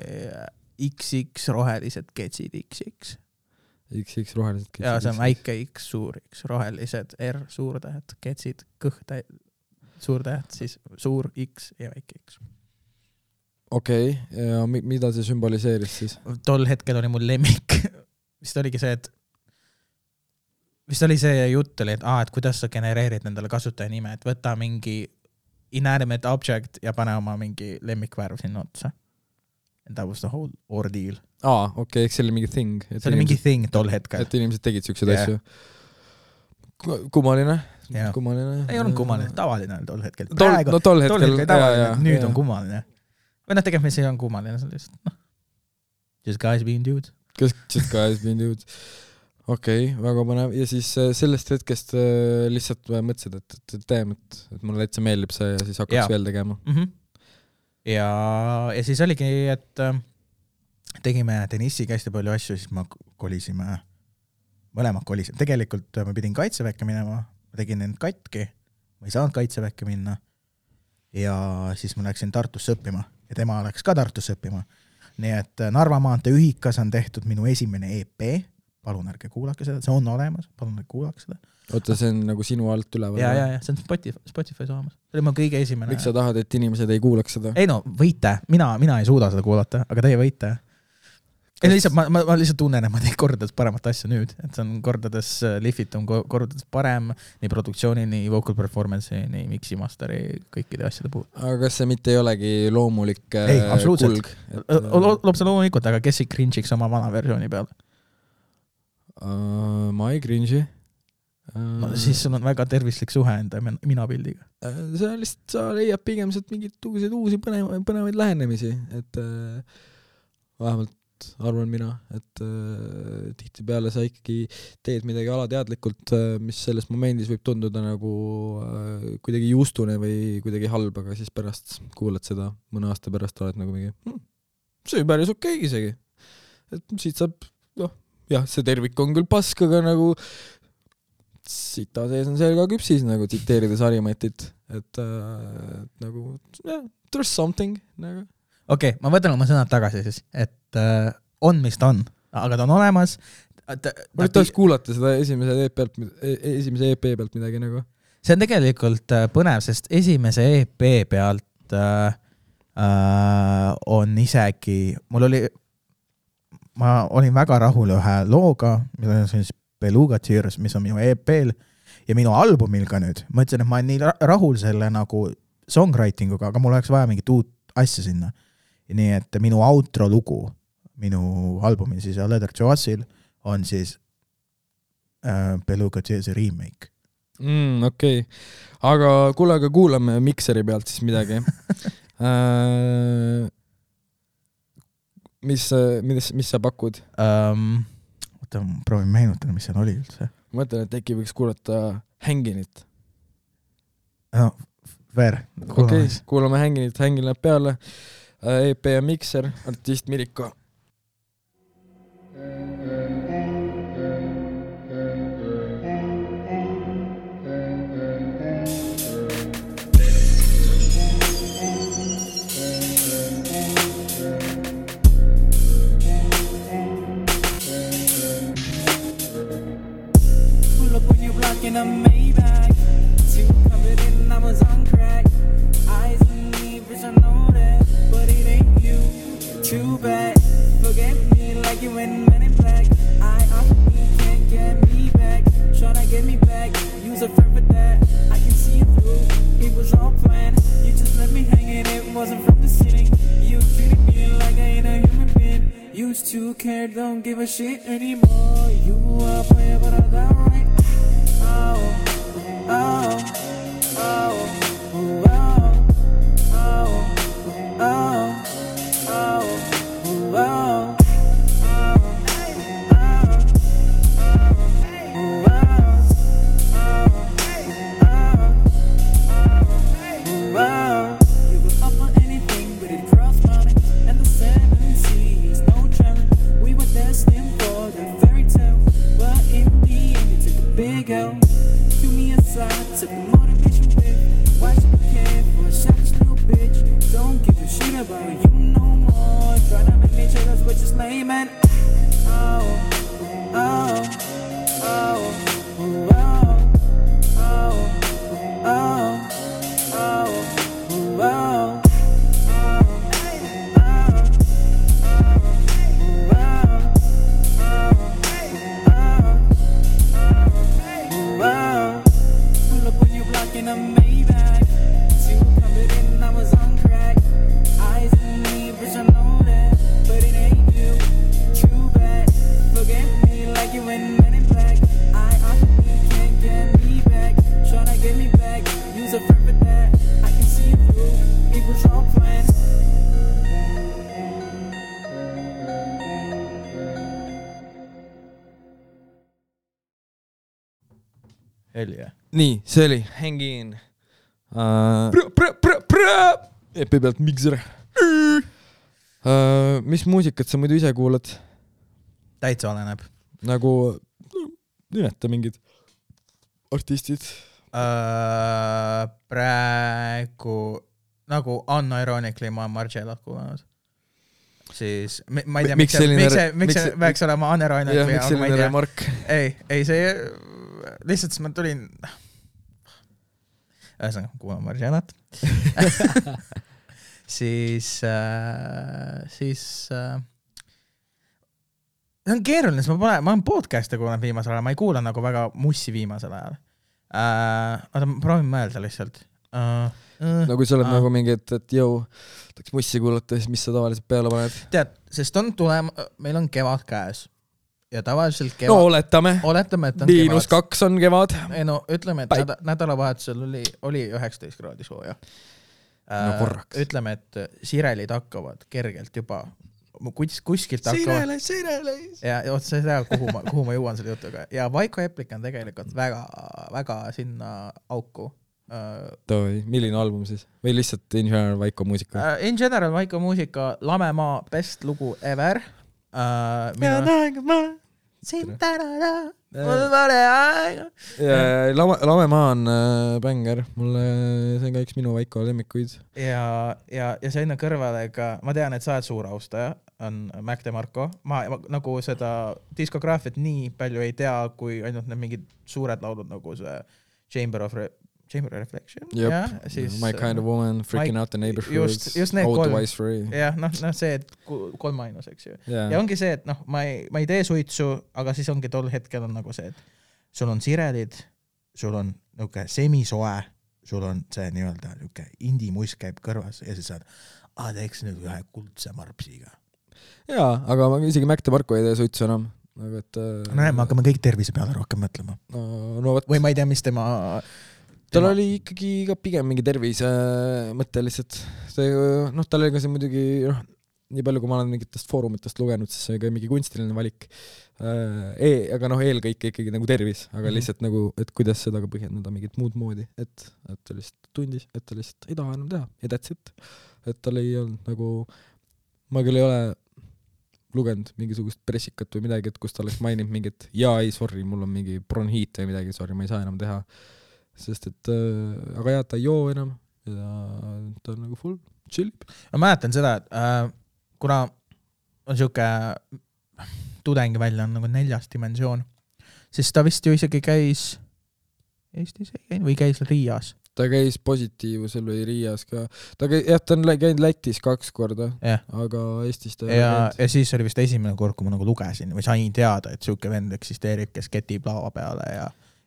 X X rohelised ketsid X X. X X rohelised ketsid. Ja see on väike X suur X, rohelised R suurtähed, ketsid kõhtähed, suurtähed, siis suur X ja väike X. Okei, okay. Ja mida see sümboliseeris siis? Tol hetkel oli mul lemmik. Vist oligi see, et vist oli see jutt oli, et, aa, et kuidas sa genereerid nendele kasutaja nime, et võta mingi inanimate object ja pane oma mingi lemmikvärv sinna otsa. And that was the whole ordeal. Aa, okei, okay, eks see oli mingi thing. See oli mingi thing tol hetkel. Et inimesed tegid siukseid yeah. asju. Kummaline. Yeah. Kummaline. Ei olnud kummaline, tavaline tol hetkel. Tol, Praegu, no tol hetkel. Tol hetkel tavaline, ja, ja, nüüd ja. on kummaline. Või noh, tegelikult mis ei on kummaline, see on lihtsalt, noh, just guys being dudes. Just guys being dudes. Okei, okay, väga põnev. Ja siis sellest hetkest lihtsalt mõtlesid, et, et teem, et, et mulle täitsa meeldib see ja siis hakkaks ja. veel tegema. Mm-hmm. Ja, ja siis oligi, et tegime Denissiga hästi palju asju, siis ma kolisime, mõlemad kolisime. Tegelikult ma pidin kaitseväkke minema, ma tegin end katki, ma ei saanud kaitseväkke minna ja siis ma läksin Tartusse õppima ja tema läks ka Tartusse õppima. Nii et Narva maantee ühikas on tehtud minu esimene E P, palun ärge kuulake seda, see on olemas, palun ärge kuulake seda. Oota, see on nagu sinu alt üleval? Ja, ja, ja, see on Spotify, Spotify's olemas. See oli mu kõige esimene. Miks sa tahad, et inimesed ei kuulaks seda? Ei no, võite. Mina, mina ei suuda seda kuulata, aga teie võite. Ei, lihtsalt, ma, ma, ma lihtsalt tunnen, et ma tein kordades paremat asja nüüd. Et see on kordades lihvitum, kordades parem nii produktsiooni, nii vocal performance'i, nii mixi masteri, kõikide asjade puhul. Aga kas see mitte ei olegi loomulik ei, kulg? Et... Loob see loomulikult, aga kes ei cringe'iks oma vana versiooni peal? Uh, ma ei cringe'i. No, siis sul on väga tervislik suhe enda mina pildiga. See on lihtsalt, sa leiad pigem sealt mingid uusi põnevaid, põnevaid lähenemisi, et äh, vähemalt arvan mina, et äh, tihti peale sa ikkagi teed midagi alateadlikult, äh, mis selles momendis võib tunduda nagu äh, kuidagi justune või kuidagi halb, aga siis pärast kuulad seda mõne aasta pärast oled nagu mingi hm, see on päris okei isegi. Et siit saab, noh, jah, see tervik on küll pask, aga nagu sita sees on seal ka küpsis, nagu tsiteerides Harimatit, et äh, nagu yeah, there's something nagu. Okei, okay, ma võtan oma sõnad tagasi siis, et äh, on, mis ta on, aga ta on olemas. Ma nüüd tahaks kuulata seda esimese E P pealt, esimese E P pealt midagi nagu. See on tegelikult põnev, sest esimese E P pealt äh, äh, on isegi, mul oli, ma olin väga rahul ühe looga, mida on siis Beluga Tears, mis on minu E P-l ja minu albumil ka nüüd. Ma ütlesin, et ma olen nii rahul selle nagu songwritinguga, aga mul oleks vaja mingit uut asja sinna. Ja nii, et minu outro lugu, minu albumil siis Leather Joassil on siis äh, Beluga Tears remake. Mm, okei. Okay. Aga kuule, aga kuulame Mikseri pealt siis midagi. äh, mis, mis, mis sa pakud? Um, Oota, proovin meenutada, mis seal oli üldse. Ma mõtlen, et äkki võiks kuulata Hänginit. No, ver. Okei, okay, kuulame Hänginit, Hängin läheb peale. E P ja Mikser, artist Miriko. In a Maybach, too covered in Amazon crack. Eyes on me, bitch, I know that, but it ain't you. Too bad. Forget me like you in Men in Black. I often can't get me back. Tryna get me back. Use a friend for that. I can see you through. It was all planned. You just let me hang it. It wasn't from the ceiling. You treated me like I ain't a human being. Used to care, don't give a shit anymore. You are a player, but I got right. Oh, oh, oh, oh, oh, oh, oh, oh. Big L, do me a side, took motivation with Oli, jah. nii, see oli Hang In uh, epi pealt Mixer uh, mis muusikat sa muidu ise kuulad? Täitsa oleneb nagu nimeta mingid artistid uh, praegu nagu unironically ma Margellat kuulanud siis ma ei tea miks see miks see miks see peaks olema unironically ja miks selline remark ei ei see lihtsalt ma tulin ühesõnaga kuulan Margellat siis äh, siis äh, see on keeruline, sest ma pole, ma olen podcast'e kuulanud viimasel ajal, ma ei kuula nagu väga mussi viimasel ajal. Uh, oota, ma proovin mõelda lihtsalt. Uh, uh, no kui sa oled uh. nagu mingi, et, et jõu, tahaks mussi kuulata, siis mis sa tavaliselt peale paned? Tead, sest on tulema, meil on kevad käes. Ja tavaliselt kevad... No oletame. Oletame, et on Miinus kevad. kaks on kevad. Ei no, ütleme, et näda, nädalavahetusel oli, oli üheksateist kraadi sooja. Uh, no korraks. Ütleme, et sirelid hakkavad kergelt juba Kus, kuskilt hakkavad... Sirele, sirele! Ja, ja sa ei tea, kuhu ma, kuhu ma jõuan selle jutuga. Ja Vaiko Eplik on tegelikult väga, väga sinna auku. Uh, Toi, milline album siis? Või lihtsalt in general Vaiko muusika? Uh, in general Vaiko muusika, Lamemaa best lugu ever. Uh, ja näega ma! Siin tänada, mul vale aega. Lame, Lamemaa on äh, bänger. Mulle, see on ka üks minu Vaiko lemmikuid. Ja, ja, ja see enne kõrvale ka, ma tean, et sa oled suur austaja, on Mac DeMarco. Ma, ma nagu seda diskograafiat nii palju ei tea, kui ainult need mingid suured laulud nagu see Chamber of Re- Chamber of Reflection. Yep. Ja, siis, My Kind of Woman, Freaking my, Out the Neighborhood, just, just All the Wise Free. Jah, noh, no see, et kolm ainus, eks ju. Yeah. Ja ongi see, et noh, ma ei, ma ei tee suitsu, aga siis ongi tol hetkel on nagu see, et sul on sirelid, sul on niuke semisoe, sul on see nii-öelda niuke indimuisk käib kõrvas ja siis saad, ah, teeks nüüd ühe kuldse marpsiga. Jaa, aga ma isegi Mac DeMarco ei tee suitsu enam. Nagu, et, no äh, me hakkame kõik tervise peale rohkem mõtlema. No, no, võt... Või ma ei tea, mis tema... tal tema... oli ikkagi ka pigem mingi tervise mõte lihtsalt. See, noh, tal oli ka see muidugi, noh, nii palju kui ma olen mingitest foorumitest lugenud, siis see oli ka mingi kunstiline valik. E, aga noh, eelkõike ikkagi nagu tervis, aga lihtsalt mm-hmm. nagu, et kuidas seda ka põhjendada mingit muud moodi, et, et ta lihtsalt tundis, et ta lihtsalt ei taha enam teha ja that's it. Et tal ei olnud nagu, ma küll ei ole lugenud mingisugust pressikat või midagi, et kus ta oleks maininud mingit, jaa, ei, sorry, mul on mingi bronhiit või midagi, sorry, ma ei saa enam teha. Sest et, äh, aga jah, ta ei joo enam ja ta on nagu full chillib. Ma mäletan seda, et äh, kuna on siuke tudengi välja on nagu neljas dimensioon, siis ta vist ju isegi käis Eestis ei käinud või käis Riias. Ta käis Positiivusel või Riias ka. Ta käis, jah, ta on käinud Lätis kaks korda, yeah. aga Eestis ta ja, ja siis oli vist esimene kord, kui ma nagu lugesin või sain teada, et siuke vend eksisteerib, kes ketib laua peale ja,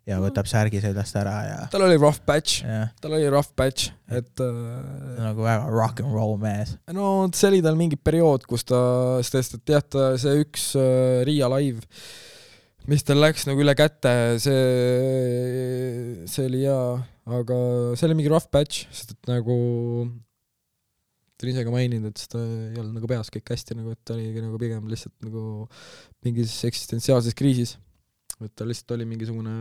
ja võtab särgi seljast ära. Ja... tal oli rough patch. Yeah. Tal oli rough patch. Et, äh... nagu väga rock and roll mees. No see oli tal mingi periood, kus ta, sest et jah, ta see üks äh, Riia live, mis tal läks nagu üle kätte, see, see oli hea, aga see oli mingi rough patch, sest et nagu ta on ise ka maininud, et seda ei olnud nagu peas kõik hästi, nagu, et ta oli nagu pigem lihtsalt nagu mingis eksistentsiaalses kriisis. Et ta lihtsalt oli mingisugune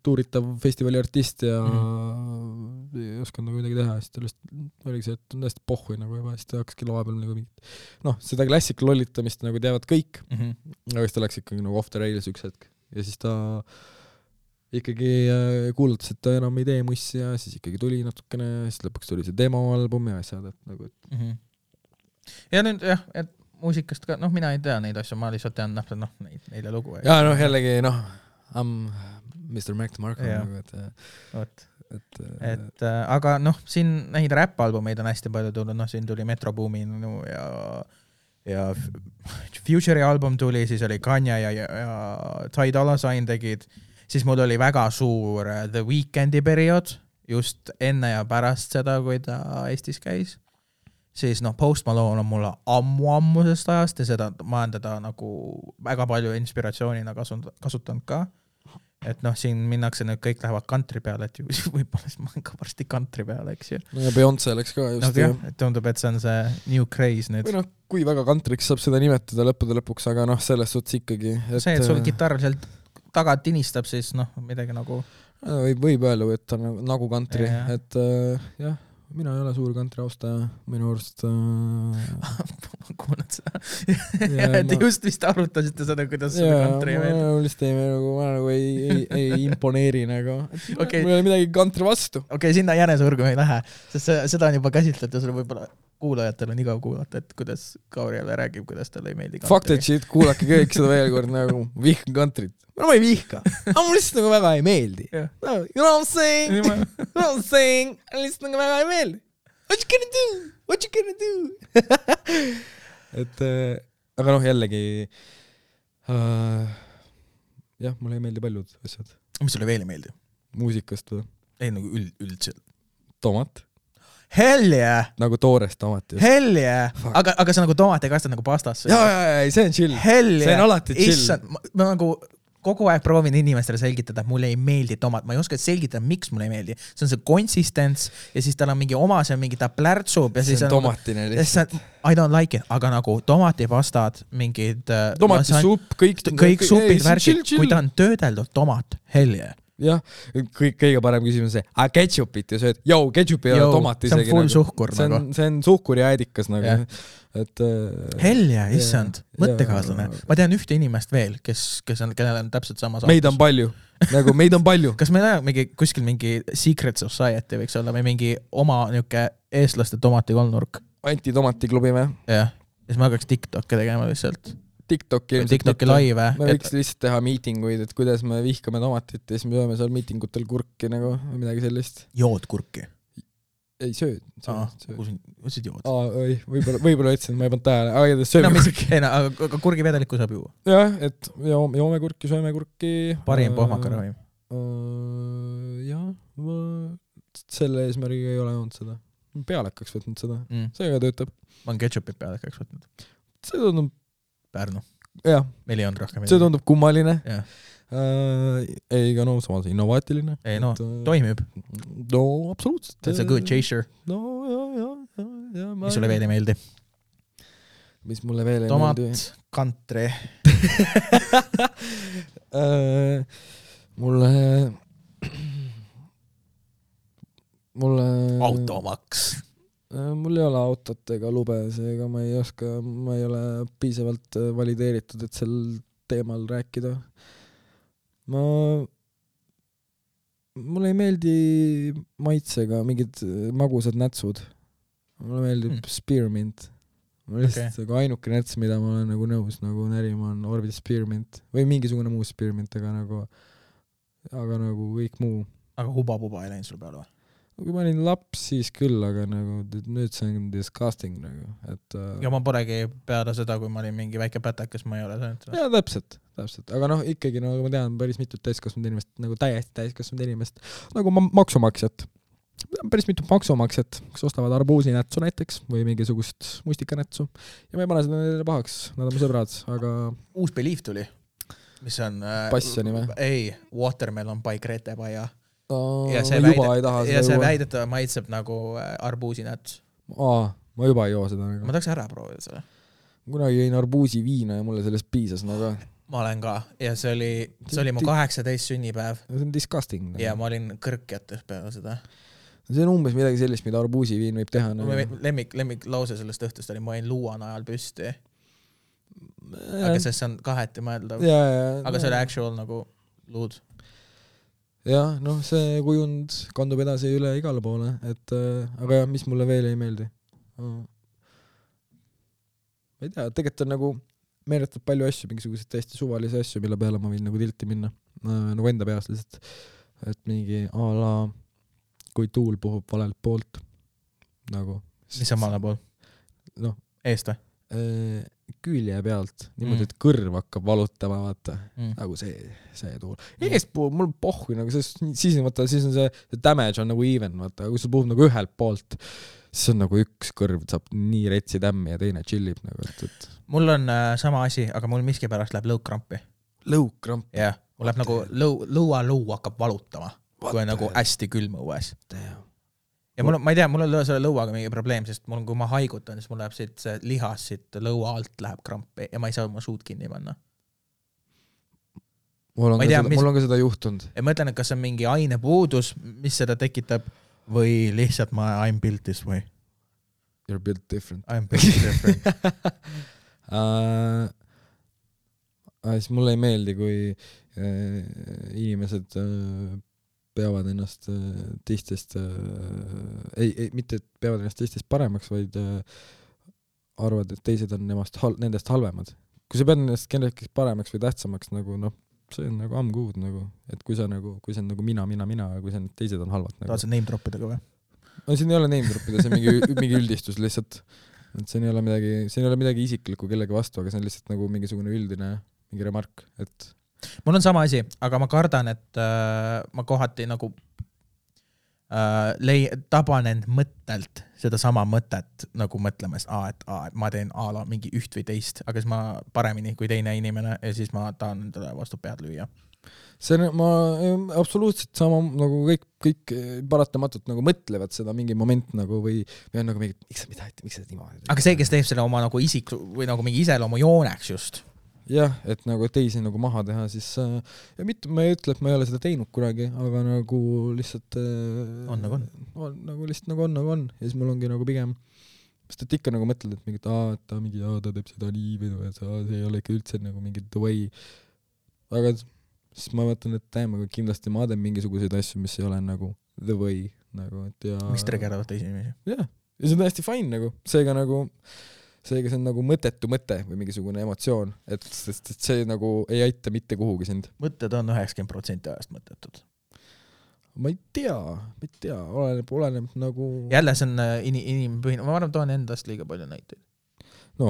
tuuritav festivali artist ja mm. ei osanud nagu midagi teha, siis ta lihtsalt oligi see, et on täiesti pohhui nagu juba, siis ta hakkaski laua peal nagu mingit, noh, seda klassik lollitamist nagu teavad kõik, mm-hmm. aga siis ta läks ikkagi nagu off the rails üks hetk ja siis ta ikkagi kuulutas, et ta enam ei tee mussi ja siis ikkagi tuli natukene, siis lõpuks tuli see demoalbum ja asjad, et nagu et... mm-hmm. ja nüüd jah, et muusikast ka, noh, mina ei tea neid asju, ma lihtsalt tean noh, noh neid, neile lugu. Ja noh, jällegi, noh, I'm mister Mac DeMarco nagu, et, et, et, et äh, aga noh, siin neid räpp-albumeid on hästi palju tulnud, noh, siin tuli Metro Boomin ja, ja Future'i album tuli, siis oli Kanye ja, ja, ja Ty Dolla Sign tegid, siis mul oli väga suur The Weekndi periood, just enne ja pärast seda, kui ta Eestis käis. Siis noh, Post Malone on mulle ammu-ammusest ajast ja seda ma olen teda nagu väga palju inspiratsioonina kasutanud ka. Et noh, siin minnakse nüüd kõik lähevad country peale, et ju võib-olla ma olen ka varsti country peale, eks ju. No ja Beyonce läks ka just. No, jah, et tundub, et see on see new craze nüüd. Või noh, kui väga countryks saab seda nimetada lõppude lõpuks, aga noh, selles suhtes ikkagi. Et... see, et sul kitarr sealt taga tinistab, siis noh, midagi nagu... võib, võib öelda, et ta on nagu country, Ja, ja. et äh, jah, mina ei ole suur country austaja, minu arust äh, ma kuulen seda. Ja, et ma- just vist arutasite seda, kuidas seda jaa, country ma meeldib. lihtsalt ei, nagu, ma nagu ei, ei, ei imponeeri nagu, Okei. mul ei ole midagi country vastu. Okei, okay, sinna jänesurgu me ei lähe, sest see, seda on juba käsitletud ja seda võib-olla kuulajatel on igav kuulata, et kuidas Kauri jälle räägib, kuidas talle ei meeldi country. Fuck that shit, kuulake kõik seda veel kord nagu, vihkan countryt. no ma ei vihka, aga mul lihtsalt nagu väga ei meeldi. Jah. No, you know what I'm saying? You know what I'm saying? Lihtsalt nagu väga ei meeldi. What you gonna do? What you gonna do? et äh, aga noh, jällegi äh, jah, mulle ei meeldi paljud asjad. Mis sulle veel ei meeldi? Muusikast või? Ei, nagu üld, üldselt. Tomat. Hell yeah! Nagu toores tomat. Hell yeah! Aga, aga sa nagu tomaate kastad nagu pastasse. jaa, jaa, jaa, see on chill. Hell yeah! See on alati chill. Issand, ma, ma nagu kogu aeg proovin inimestele selgitada, et mulle ei meeldi tomat. Ma ei oska selgitada, miks mulle ei meeldi. See on see konsistents ja siis tal on mingi oma, see on mingi ta plärtsub ja see siis on tomatine lihtsalt. I don't like it, aga nagu tomatipastad, mingid... Tomatisupp, kõik... Kõik supid, värgid, kui ta on töödeldud tomat, hell yeah. jah, kõik kõige parem küsimus see, aga ketšupit ja sööd, jau, ketšup ei ole tomat isegi. See on full nagu. suhkur see on, nagu. See on suhkur ja äädikas nagu. Yeah. Et, äh, hell yeah, issand, yeah, mõttekaaslane. yeah. Ma tean ühte inimest veel, kes, kes on, kellel on täpselt sama saatus. Meid on palju, nagu meid on palju. Kas meil on mingi, kuskil mingi secret society võiks olla või mingi oma niuke eestlaste tomatikolnurk? Anti-tomatiklubi me. jah, ja siis ma hakkaks TikTok'e tegema lihtsalt. TikTok'i, TikTok'i laive. me võiks lihtsalt teha miitinguid, et kuidas me vihkame tomatit ja siis me sööme seal miitingutel kurki nagu või midagi sellist. Jood kurki? Ei, sööd. Aa, kus jood? Aa, oi, võib-olla, võib-olla ütlesin, ma ei pannud tähele. Aga ta sööme no, kurki. Ei, no, aga kurgivedelikku saab juua. jah, et joome, joome kurki, sööme kurki. Parim pohmakaravim. Jah, ma selle eesmärgiga ei ole olnud seda. Peale hakkaks võtnud seda. Mm. See ka töötab. Ma on ketšupit peale hakkaks võtnud. See tundub... Pärnu. jah. Meil ei olnud rohkem. See tundub kummaline. Jah. Uh, ei, aga no samas innovaatiline. Ei, no, et, uh, toimib. No, absoluutselt. That's a good chaser. No, jah, jah, jah. Ja, mis sulle veel ei meeldi? Mis mulle veel ei Tomat, meeldi? kantri. uh, mulle... mulle... Automaks. Mul ei ole autot ega lube, seega ma ei oska, ma ei ole piisavalt valideeritud, et sel teemal rääkida. Ma, mulle ei meeldi maitsega mingid magusad nätsud. Mulle meeldib mm. spearmint. Ma lihtsalt okay. ainuke näts, mida ma olen nagu nõus nagu närima on Orville spearmint või mingisugune muu spearmint, aga nagu, aga nagu kõik muu. Aga huba-puba ei läinud sul peale või? Kui ma olin laps, siis küll, aga nagu nüüd see on disgusting nagu, et... Ja ma polegi peale seda, kui ma olin mingi väike pätakas, ma ei ole söönud. Jaa, täpselt, täpselt. Aga noh, ikkagi nagu ma tean päris mitut täiskasvanud inimest, nagu täiesti täiskasvanud inimest, nagu ma maksumaksjat. Päris mitut maksumaksjat, kes ostavad arbuusinätsu näiteks või mingisugust mustikanätsu. Ja ma ei pane seda neile pahaks, nad on mu sõbrad, aga... Uus Belief tuli, mis on... Passioni või? Ei, Watermelon by Grete Baia. Oh, ja see, väidet, ja see väidetava maitseb nagu arbuusinäts. Aa, ma juba ei joo seda nagu. Ma tahaks ära proovida seda. Kunagi jõin arbuusi viina ja mulle sellest piisas nagu. Ma olen ka ja see oli, see oli mu kaheksateist sünnipäev. See on disgusting. Nagu. Ja ma olin kõrkjates peale seda. See on umbes midagi sellist, mida arbuusi viin võib teha. Nagu. Lemmik, lemmik lause sellest õhtust oli, ma jäin luuan ajal püsti. Aga sest see on kaheti mõeldav. Ja, ja, aga see oli actual nagu luud. jah, noh, see kujund kandub edasi üle igale poole, et äh, aga jah, mis mulle veel ei meeldi. Ma ei tea, tegelikult on nagu meeletab palju asju, mingisuguseid täiesti suvalisi asju, mille peale ma võin nagu tilti minna. Äh, nagu enda peas lihtsalt, et mingi a la kui tuul puhub valelt poolt. Nagu. Mis on vale pool? Noh. Eest või? Äh, külje pealt, niimoodi, et kõrv hakkab valutama, vaata, mm. nagu see, see tuul. Eestpool mul pohhu, nagu siis, siis, vaata, siis on see, see damage on nagu even, vaata, kui sul puhub nagu ühelt poolt, siis on nagu üks kõrv saab nii retsi tämmi ja teine chillib nagu, et, et... Mul on äh, sama asi, aga mul miski pärast läheb lõukkrampi. Lõukkramp? jah, mul läheb nagu lõu, lõua-lõu hakkab valutama, What kui on nagu hästi külm õues. Damn. Ja mul, ma ei tea, mul on selle lõuaga mingi probleem, sest mul, kui ma haigutan, siis mul läheb siit see lihas siit lõua alt läheb krampi ja ma ei saa oma suud kinni panna. mul on, Ma ei tea, seda, mis- mul on ka seda juhtunud. ja ma ütlen, et kas on mingi ainepuudus, mis seda tekitab või lihtsalt ma I'm built this way. You're built different. I'm built different. uh, siis mulle ei meeldi, kui uh, inimesed uh, peavad ennast uh, teistest uh, ei, ei, mitte et peavad ennast teistest paremaks, vaid uh, arvad, et teised on nemast hal- nendest halvemad. Kui sa pead ennast kellelegi paremaks või tähtsamaks, nagu noh, see on nagu I'm good, nagu, et kui sa nagu, kui see on nagu mina, mina, mina, kui see on, teised on halvad. Nagu. Tahad sa name droppida ka või? No siin ei ole name droppida, see on mingi, mingi üldistus lihtsalt. Et siin ei ole midagi, siin ei ole midagi isiklikku kellegi vastu, aga see on lihtsalt nagu mingisugune üldine mingi remark, et mul on sama asi, aga ma kardan, et äh, ma kohati nagu äh, lei-, taban end mõttelt seda sama mõtet nagu mõtlemas, aa, et, aa, et ma teen a la mingi üht või teist, aga siis ma paremini kui teine inimene ja siis ma tahan endale vastu pead lüüa. see on, ma absoluutselt sama nagu kõik, kõik paratamatult nagu mõtlevad seda mingi moment nagu või, või on nagu mingi, miks sa mida, miks sa niimoodi. aga see, kes teeb selle oma nagu isik või nagu mingi iseloomu jooneks just. jah, et nagu teisi nagu maha teha, siis ja mitte ma ei ütle, et ma ei ole seda teinud kunagi, aga nagu lihtsalt on nagu on. on nagu lihtsalt nagu on, nagu on ja siis mul ongi nagu pigem sest et ikka nagu mõtled, et mingit aa, et ta mingi aa, ta teeb seda nii või et aa, see ei ole ikka üldse nagu mingi the way, aga siis ma mõtlen, et täiemaga kindlasti ma teen mingisuguseid asju, mis ei ole nagu the way nagu, et ja mis triggeravad teisi inimesi. jah, ja see on täiesti fine nagu, seega nagu seega see on nagu mõttetu mõte või mingisugune emotsioon, et, sest, et see nagu ei aita mitte kuhugi sind. mõtted on üheksakümmend protsenti ajast mõttetud. ma ei tea, ma ei tea, oleneb, oleneb nagu jälle see on in, inimpõhine, ma arvan, toon endast liiga palju näiteid. no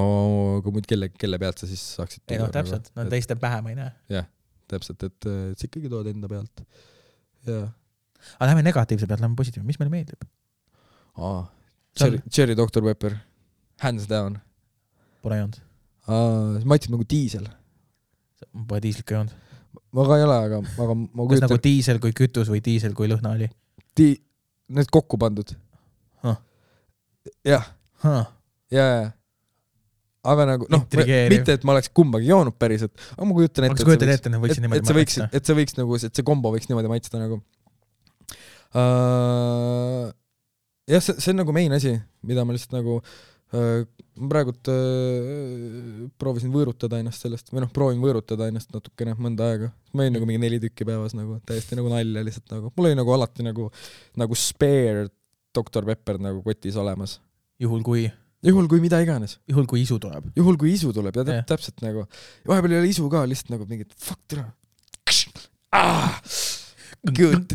aga muid kelle, kelle pealt sa siis saaksid ei noh, täpselt, no et, teiste pähe ma ei näe. jah, täpselt, et, et sa ikkagi tood enda pealt. jah. aga lähme negatiivse pealt, lähme positiivne, mis meile meeldib? aa, Cherry, Cherry doktor Pepper, hands down. Pole joonud. Ma ütlesin nagu diisel. Pole diislit ka joonud. Ma ka ei ole, aga, aga ma kas nagu diisel kui kütus või diisel kui lõhna oli? Di... Need kokku pandud. Huh. jah. Huh. Ja, ja. Aga nagu, noh, mitte, et ma oleks kumbagi joonud päriselt, aga ma kujutan ette, et, ette, et, võiks, et, et, see võiks, et see võiks nagu, et see kombo võiks niimoodi maitseda nagu. Uh, jah, see, see on nagu main asi, mida ma lihtsalt nagu uh, praegult uh, proovisin võõrutada ennast sellest, või noh, proovin võõrutada ennast natukene mõnda aega. Ma olin nagu mingi neli tükki päevas nagu, täiesti nagu nalja lihtsalt nagu. Mul oli nagu alati nagu, nagu spare doktor Pepper nagu kotis olemas. Juhul kui? Juhul kui mida iganes. Juhul kui isu tuleb? Juhul kui isu tuleb, ja yeah. täpselt nagu. Vahepeal ei ole isu ka, lihtsalt nagu mingid fuck tere. Ah! Good,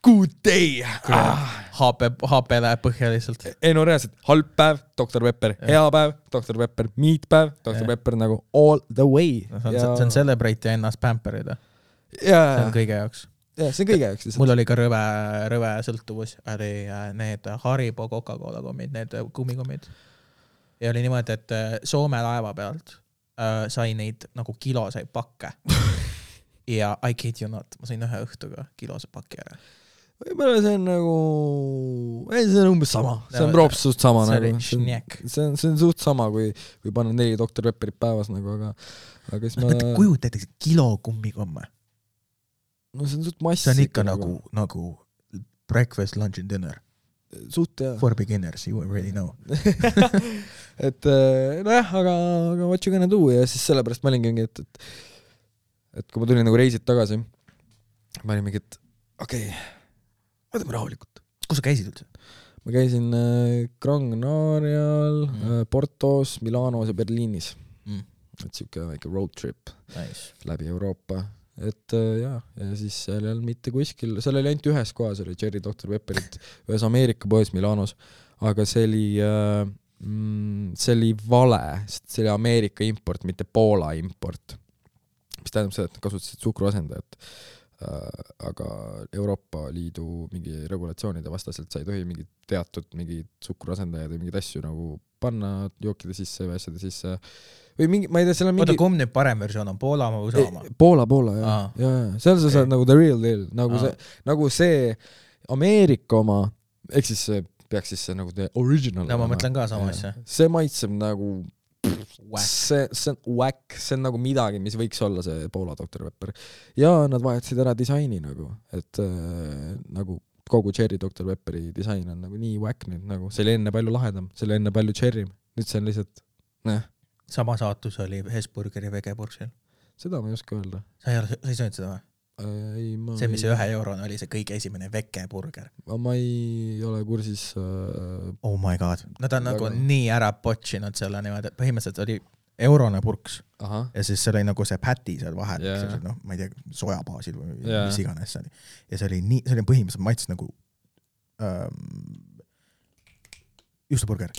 good day. Ah. H P, H P läheb põhja lihtsalt. Ei no reaalselt, halb päev, doktor Pepper, hea päev, doktor Pepper, meat päev, doktor yeah. Pepper nagu all the way. No, see, on, ja... see on celebrate ja ennast pamperida. Yeah. See on kõige jaoks. Ja, see on kõige jaoks. Mul oli ka rõve, rõve sõltuvus, oli need Haribo Coca-Cola kommid, need kummikommid. Ja oli niimoodi, et Soome laeva pealt äh, sai neid nagu kiloseid pakke. Ja I kid you not, ma sain ühe õhtuga kilose paki ära. Võib-olla see on nagu, ei, see on umbes sama, see on props suht sama see nagu, see on, see on, see on suht sama, kui, kui panna neli doktor Pepperit päevas nagu, aga, aga siis ma... Mõtle, kujuta näiteks kilo kummikomme. No see on suht massi. See on ikka nagu, nagu breakfast, lunch and dinner. Suht, jah. For beginners, you already know. et nojah, aga, aga what you gonna do ja siis sellepärast ma olingi mingi, et, et, et kui ma tulin nagu reisid tagasi, ma olin mingi, et okei, okay, võtame rahulikult. Kus sa käisid üldse? Ma käisin äh, Gran Canarial, mm. äh, Portos, Milanos ja Berliinis. Mm. Et siuke väike road trip nice. Läbi Euroopa. Et äh, jah, ja siis seal ei olnud mitte kuskil, seal oli ainult ühes kohas, oli Cherry doktor Pepperit, ühes Ameerika poes Milanos, aga see oli, äh, mm, see oli vale, sest see oli Ameerika import, mitte Poola import. Mis tähendab seda, et kasutasid suhkruasendajat. Äh, aga Euroopa Liidu mingi regulatsioonide vastaselt sa ei tohi mingi teatud mingi suhkruasendajad või mingid asju nagu panna jookide sisse või asjade sisse või mingi, ma ei tea, seal on mingi... Oota, kumb nüüd parem versioon on, Poola või U S A oma? Poola, Poola, jah. Ah. Ja, ja. Seal sa saad nagu the real deal, nagu, ah. see, nagu see Ameerika oma, eks siis see peaks siis see nagu the original. No ma mõtlen ka sama asja. See maitseb nagu, see, see on whack, see on nagu midagi, mis võiks olla see Poola doktor Pepper. Ja nad vahetasid ära disaini nagu, et äh, nagu kogu Cherry doktor Pepperi disain on nagu nii whack nüüd nagu, see oli enne palju lahedam, see oli enne palju cherry, nüüd see on lihtsalt näh. Sama saatus oli Hesburgeri vegeburgsil. Seda ma ei oska öelda. Sa ei, ole, sa ei söönud seda või? Ei, ma see, mis ühe eurone oli see kõige esimene vegeburger. Ma ei ole kursis äh... oh my god, nad on väga... nagu nii ära potšinud selle niimoodi, et põhimõtteliselt oli eurone purks. Aha. Ja siis see oli nagu see päti seal vahel, yeah. no, ma ei tea, sojabaasil või yeah. mis iganes see oli. Ja see oli nii, see oli põhimõtteliselt maitses nagu ähm, juustuburger.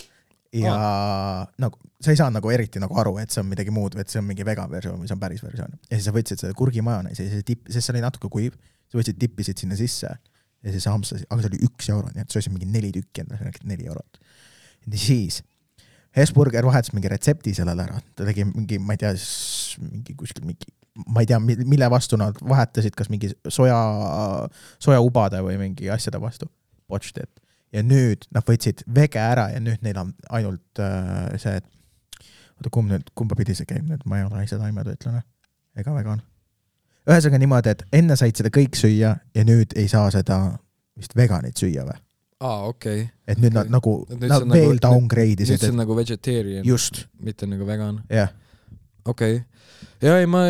Ja ah. nagu, sa ei saa nagu eriti nagu aru, et see on midagi muud, et see on mingi vegan versioon, mis on päris versioon. Ja siis sa võtsid seda kurgimajoneesi ja siis tipp, sest see oli natuke kuiv, sa võtsid tippisid sinna sisse ja siis hamstasid, aga see oli üks euro, nii et see oli mingi neli tükki enda, neli eurot. Ja siis Hesburger vahetas mingi retsepti sellele ära, ta tegi mingi, ma ei tea, mingi kuskil mingi, ma ei tea, mille vastu nad vahetasid, kas mingi soja, soja ubade või mingi asjade vastu. Watched it. Ja nüüd nad võtsid vege ära ja nüüd neil on ainult äh, see, et oota, kumb nüüd, kumba pidi see käib nüüd, ma ei ole seda imetöötlane ega vegan. Ühesõnaga niimoodi, et enne said seda kõik süüa ja nüüd ei saa seda vist veganit süüa või? Aa, okei. Okay. Et nüüd okay. nad nagu nad veel nagu, downgrade isid. Nüüd see on nagu vegetarian. Just. Mitte nagu vegan. Jah. Yeah. Okei. Okay. Ja ei, ma,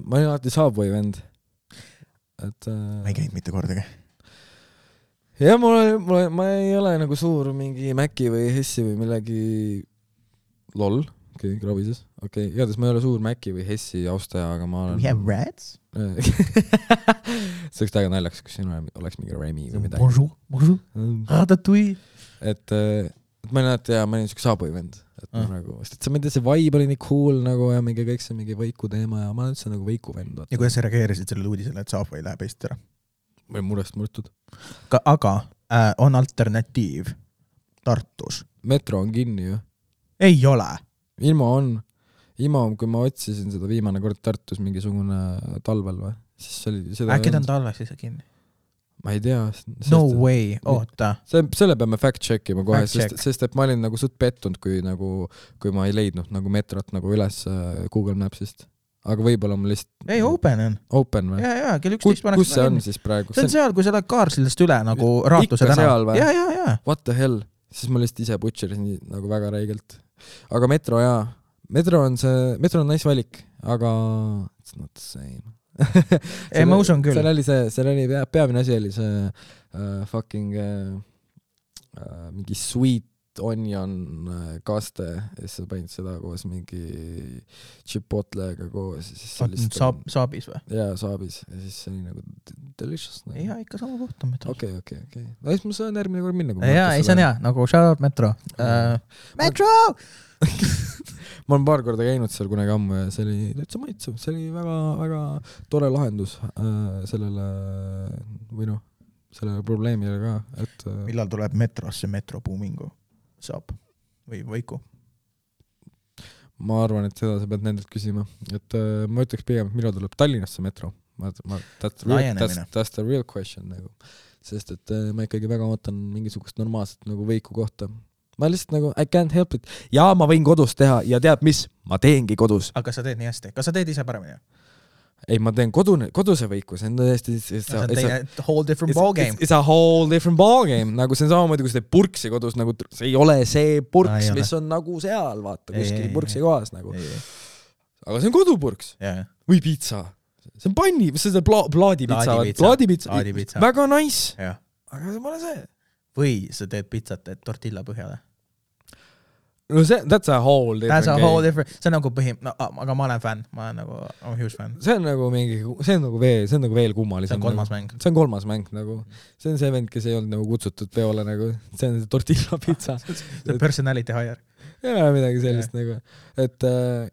ma ei alati Subway vend. Et, äh... ma ei käinud mitte kordagi. Ja mul, mul, ma ei ole nagu suur mingi Mäki või Hessi või millegi lol, okei, okay, krabises, okei, okay. Igatahes ma ei ole suur Mäki või Hessi austaja, aga ma olen... We have rats? see oleks täiega naljaks, kus sinu oleks mingi Remi või midagi. Bonjour, bonjour, ratatouille. Et, et ma ei näe, et ja, ma olin niisugune Subway vend. Et ah. nagu, sest et see, ma ei tea, see vibe oli nii cool nagu ja mingi kõik see mingi Võiku teema ja ma olen üldse nagu Võiku vend. Ja kuidas sa reageerisid sellele uudisele, et Subway läheb Eestit ära? Või murest murtud. Aga äh, on alternatiiv Tartus. Metro on kinni ju. Ei ole. Ilma on. Ilma on, kui ma otsisin seda viimane kord Tartus mingisugune talvel või. Siis oli, seda äkki ta on talveks siis kinni? Ma ei tea. No way, oota. See, selle peame fact checkima kohe, sest, sest et ma olin nagu suht pettunud, kui, nagu, kui ma ei leidnud nagu metrot nagu üles Google Mapsist. Aga võib-olla ma lihtsalt... Ei, open on. Open või? Jaa, jaa, kell üksteist paneks... Kus see on siis praegu? See on seal, kui sa lähed Kaarsildast üle nagu Raatuse tänav. Ikka seal või? Jaa, jaa, jaa. What the hell? Siis ma lihtsalt ise butcherisin nagu väga räigelt. Aga Metro, jaa. Metro on see... Metro on nice valik, aga... It's not the same. Ei, ma usun küll. Seal oli see... Seal oli peamine asi oli see uh, fucking... Uh, uh, mingi sweet onion kaste ja siis sa panid seda koos mingi chipotlega koos ja siis sellist... Saab, saabis või? Jaa, saabis ja siis see oli nagu delicious nagu. Jaa, ikka sama kohta Metro. Okei, okei, okei. No siis ma saan järgmine kord minna. Jaa, ei, see on hea, nagu shout out Metro. Uh, Metro! ma olen paar korda käinud seal kunagi ammu ja see oli täitsa maitsev, see oli väga, väga tore lahendus uh, sellele või noh, sellele probleemile ka, et uh... millal tuleb Metrosse Metro Boomingu? Saab või Võiku? Ma arvan, et seda sa pead nendelt küsima. Et äh, ma ütleks pigem, et millal tuleb Tallinnasse Metro. Ma, ma, that's, the real, that's, that's the real question. Nagu. Sest et äh, ma ikkagi väga ootan mingisugust normaalset nagu Võiku kohta. Ma lihtsalt nagu, I can't help it. Ja ma võin kodus teha ja tead mis? Ma teengi kodus. Aga kas sa teed nii hästi? Kas sa teed ise paremini? Ei, ma teen kodune, koduse Võiku, see on tõesti... See on teine whole different ballgame. It's a whole different ballgame. Nagu see on samamoodi, kui sa teed purksi kodus, nagu see ei ole see purks, no, mis on nagu seal, vaata, kuskil purksi kohas nagu. Ei, ei. Aga see on kodupurks. Yeah. Või pizza. See on panni, see on pla- plaadipizza. Plaadipizza. Plaadipizza. Väga nice. Yeah. Aga see pole see. Või sa teed pizzat, et tortilla põhjale. No see, that's a whole different that's a whole game. Different, see on nagu põhim... No, aga ma olen fänn, ma olen nagu I'm a huge fan. See on nagu mingi, see on nagu veel, see on nagu veel kummalisem. See on kolmas nagu, mäng. See on kolmas mäng nagu. See on see vend, kes ei olnud nagu kutsutud peole nagu. See on see tortilla pizza. see personality hire. Jaa, midagi sellist yeah. nagu. Et, äh,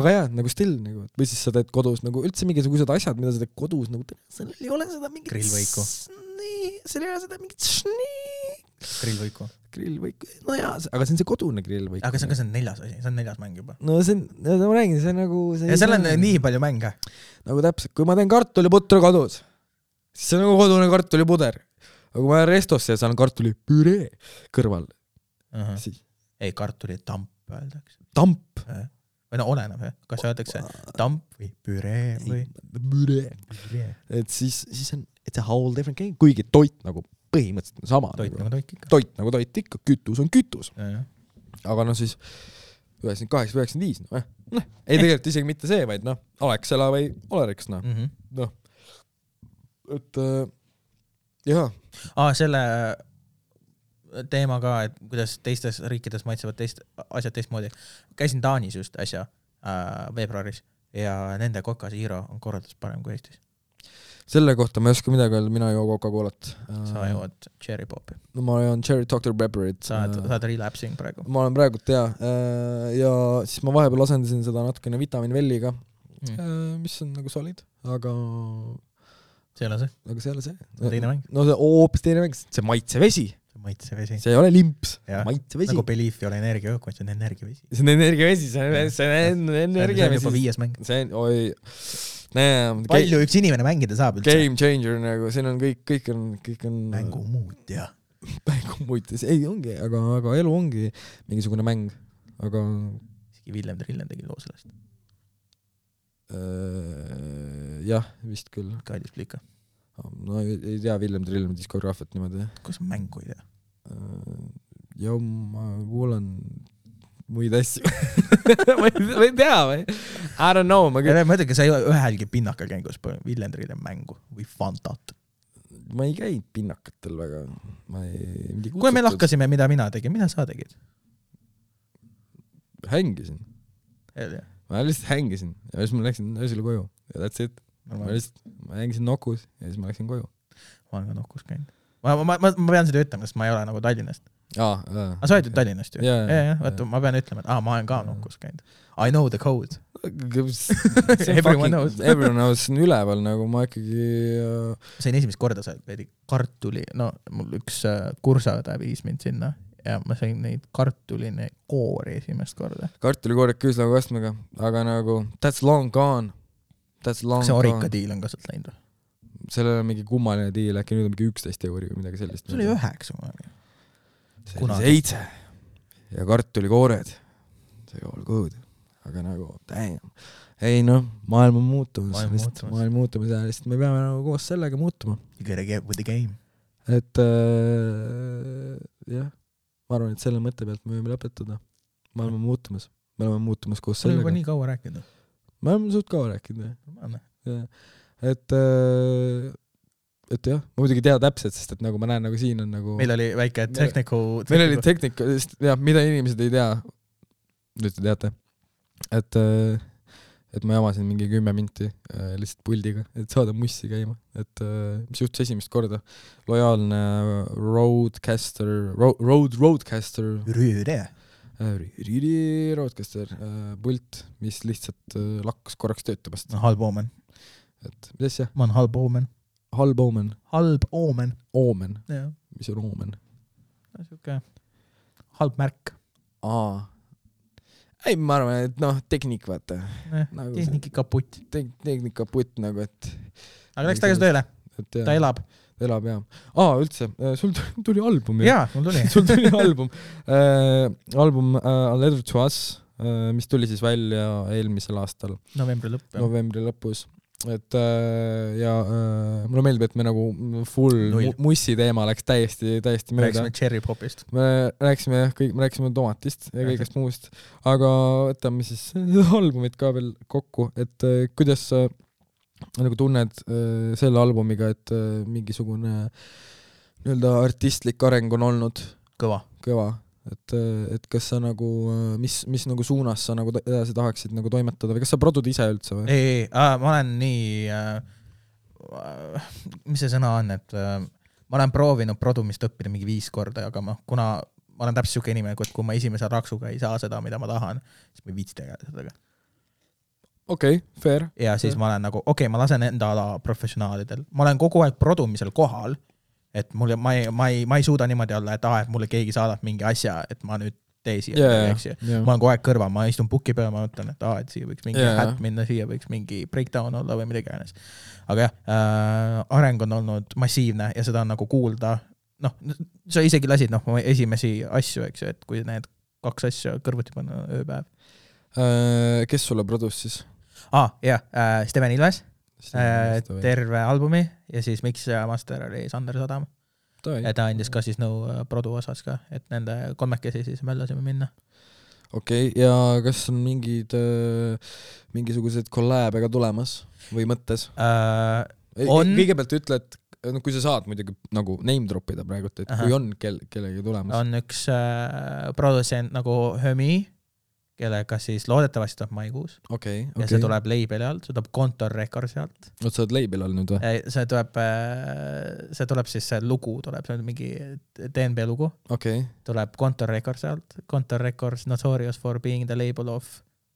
aga jah, nagu still nagu. Või siis sa teed kodus nagu üldse mingisugused asjad, mida sa teed kodus nagu. Seal ei ole seda mingit... Grillvõiku. Seal ei ole seda mingit... Grillvõiku. Grillvõiku, no jaa, aga see on see kodune grillvõiku. Aga see on ka see neljas asi, see on neljas mäng juba. No see on, ma räägin, see on nagu... See ja seal on mäng. Nii palju mänge. Nagu täpselt, kui ma teen kartuliputru kodus, siis see on nagu kodune kartulipuder. Aga kui ma olen restosse ja saan kartulipüree kõrval. Uh-huh. Siis... Ei, kartulitamp. öeldakse. Tamp. Või no oleneb, kas öeldakse tamp või püree või püree. Et siis, siis on, it's a whole different game, kuigi toit nagu põhimõtteliselt on sama. Toit nagu toit ikka. Toit nagu toit ikka, kütus on kütus. Ja, aga no siis üheksakümmend kaheksa üheksakümmend viis, noh, noh, ei tegelikult isegi mitte see, vaid noh, Alexela või Oleriks, noh, mm -hmm. noh, et äh, jah. Aa, selle teema ka, et kuidas teistes riikides maitsevad teist, asjad teistmoodi. Käisin Taanis just äsja äh, veebruaris ja nende Coca Zero on korraldus parem kui Eestis. Selle kohta ma ei oska midagi öelda, mina joo Coca-Colat. Sa jood Cherry Popi. No ma joon Cherry doctor Pepperit. Sa oled, sa oled relapsing praegu. Ma olen praegu, tea. Ja siis ma vahepeal asendasin seda natukene vitaminvelliga, mm. mis on nagu solid, aga see ei ole see. Aga see ei ole see. Teine mäng. No see hoopis teine mäng, see maitsevesi. Maitsevesi. See ei ole limps, maitsevesi. Nagu Belief ei ole energiajook, see on energiavesi. See on energiavesi, see on, see on energiavesi. See on juba viies mäng. See on, oi, näe. Palju üks inimene mängida saab üldse? Game changer, nagu, siin on kõik, kõik on, kõik on... Mängu muut, jah. Mängu muut, ei ongi, aga, aga elu ongi mingisugune mäng, aga... Isegi Villem Trillen tegi loo sellest. Uh, jah, vist küll. Kaidis plika. No ei, ei tea Villem Trillen diskograafiat niimoodi. Kus on mängu ei tea? Uh, ja ma kuulen muid asju. ma, ei, ma ei tea või? I don't know. Ma, küll... ma ütlen, sa ei ole ühelgi pinnakal käingus Villem Trillen mängu või Fantat. Ma ei käinud pinnakatel väga. Ma ei... Kui me lahkasime, mida mina tegin, mida sa tegid? Hängisin. Hell, jah. Ma lihtsalt hängisin ja siis ma läksin öösel koju ja that's it. Ma lihtsalt, ma hängisin Nokus ja siis ma läksin koju. Ma olen ka Nokus käinud. Ma, ma, ma, ma pean seda ütlema, sest ma ei ole nagu Tallinnast. Aa, aa. Aga sa oled ju Tallinnast ju? Yeah, ja, ja, võtta, ma pean ütlema, et ah, ma olen ka Nokus käinud. I know the code. Everyone knows. Everyone knows, on üleval, nagu ma ikkagi... Uh... Sain esimest korda sa veidi kartuli, no mul üks uh, kursada viis mind sinna ja ma sain neid kartuline koori esimest korda. Kartulikoored küüslaga kastmega, aga nagu that's long gone. That's long see gone. Orika diil on ka sealt läinud? Sellel on mingi kummaline diil, äkki nüüd on mingi üksteist euri või midagi sellist. See oli üheksa. See oli seitse ja kartulikoored. See all good. Aga nagu, damn. Ei noh, maailm on muutumas. Maailm muutumas. Maailm muutumas ja lihtsalt me peame nagu koos sellega muutuma. You gotta get with the game. Et äh, jah, ma arvan, et selle mõtte pealt me võime lõpetada. Maailm on muutumas. Me oleme muutumas koos sellega. Sul juba nii kaua rääkinud? Me oleme suht kaua rääkinud. Ja. Et, et jah, ma muidugi tea täpselt, sest et nagu ma näen, nagu siin on nagu... Meil oli väike tehniku... Meil oli tehnika, jah, mida inimesed ei tea, nüüd te teate, et, et ma jamasin mingi kümme minti lihtsalt puldiga, et saada mussi käima, et mis juhtus esimest korda. Lojaalne roadcaster, road, roadcaster... Rüüde. Rüüdi roadcaster pult, mis lihtsalt lakkas korraks töötamast. No, halb oomen. Et, mis asja? Ma olen halb oomen. Halb oomen. Halb oomen. Oomen. Ja. Mis on oomen? Siuke halb märk. Aa. Ei, ma arvan, et noh, tehnik vaata. Eh, nagu tehniki kaputt. Te tehnik kaputt nagu, et... Aga läks tagasi tööle. Ta elab. Ta elab, jah. Aa, üldse, sul tuli album. Jaa, mul tuli. sul tuli album. Äh, album uh, A Letter to Us, uh, mis tuli siis välja eelmisel aastal. Novembri lõpp. Jah. Novembri lõpus. Et uh, ja uh, mulle meeldib, et me nagu full mu- mussi teema läks täiesti, täiesti mööda. Rääksime cherry popist. Me rääksime, kõik, me rääksime tomatist ja kõigest muust. Aga võtame siis albumit ka veel kokku, et uh, kuidas uh, nagu tunned uh, selle albumiga, et uh, mingisugune nii-öelda artistlik areng on olnud kõva, kõva. Et, et kas sa nagu, mis, mis nagu suunas sa nagu edasi tahaksid nagu toimetada või kas sa produd ise üldse või? Ei, ei, äh, ma olen nii äh, mis see sõna on, et äh, ma olen proovinud produmist õppida mingi viis korda, aga ma, kuna ma olen täpselt siuke inimene, et kui ma esimese raksuga ei saa seda, mida ma tahan, siis ma ei viitsi tegeleda sellega. Okei, okay, fair. Ja siis fair. Ma olen nagu, okei okay,, ma lasen enda ala professionaalidel. Ma olen kogu aeg produmisel kohal, et mul, ma, ei, ma, ei, ma ei suuda niimoodi olla, et ah, et mulle keegi saadab mingi asja, et ma nüüd tee siia. Yeah, yeah. Ma olen kogu aeg kõrva, ma istun puki peal, ma mõtlen, et ah, et siia võiks mingi yeah. hätt minna, siia võiks mingi breakdown olla või midagi äänes. Aga jah, äh, areng on olnud massiivne ja seda on nagu kuulda. Noh, sa isegi lasid noh, esimesi asju, eks ju, et kui need kaks asja kõrvuti panna ööpäev. Kes sulle produs siis? Ah, jah, äh, Steven Ilves, äh, terve albumi ja siis mix ja master oli Sander Sadam. Ja ta andis ka siis nõu produ osas ka, et nende kolmekesi siis möllasime minna. Okei, okay, ja kas on mingid äh, mingisugused kolläbe ka tulemas või mõttes? Äh, on... Kõigepealt ütle, et no, kui sa saad muidugi nagu name dropida praegu, et Aha. kui on kel- kellegi tulemas. On üks äh, producent nagu Hömi, kellega siis loodetavasti tuleb maikuus. Okay, okay. Ja see tuleb labeli alt, see tuleb Kontor Recordsi alt. Oot, sa oled label all nüüd või? See tuleb, see tuleb siis see lugu, tuleb, see on mingi D N B lugu. Okay. Tuleb Kontor Recordsi alt. Kontor Records notorious for being the label of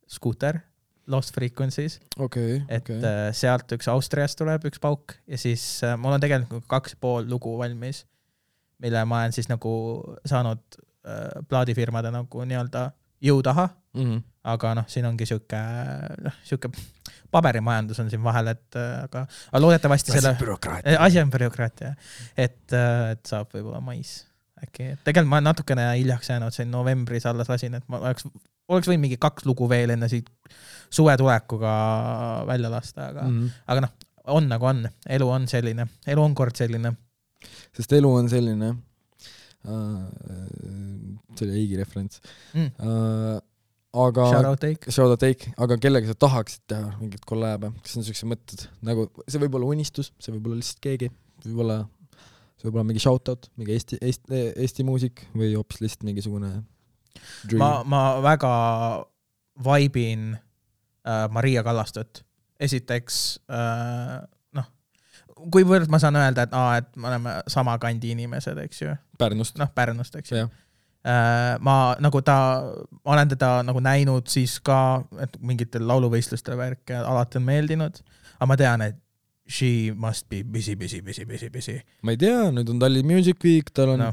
Scooter, Lost Frequencies. Okay, et okay. sealt üks Austriast tuleb üks pauk ja siis mul on tegelikult kaks pool lugu valmis, mille ma olen siis nagu saanud äh, plaadifirmade nagu nii-öelda jõu taha, mm-hmm. aga noh, siin ongi siuke, noh, siuke paberimajandus on siin vahel, et aga, aga loodetavasti selle... Asi on bürokraatia. Et, et saab võib-olla mais. Äkki. Tegelikult ma natukene hiljaks jäänud, see novembris alles lasin, et ma oleks, oleks võin mingi kaks lugu veel enne siit suve tulekuga välja lasta, aga, mm-hmm. aga noh, on nagu on. Elu on selline. Elu on kord selline. Sest elu on selline... Uh, see oli Eigi referents mm. uh, aga Shoutout Eik Shoutout Eik, aga kellega sa tahaksid teha mingit kolläbe, kas on sellised mõtted nagu, see võib olla unistus, see võib olla lihtsalt keegi, võib olla see võib olla mingi shoutout, mingi Eesti, Eesti, Eesti muusik või hoopis lihtsalt mingisugune dream. ma, ma väga vaibin uh, Maria Kallastöt esiteks uh, kuivõrd ma saan öelda, et, aa, et me oleme sama kandi inimesed, eks ju. Pärnust. Noh, Pärnust, eks ju. Ma nagu ta, ma olen teda nagu näinud siis ka, et mingitel lauluvõistlustel värk alati on meeldinud, aga ma tean, et she must be busy, busy, busy, busy, busy. Ma ei tea, nüüd on Tallinn Music Week, tal on no.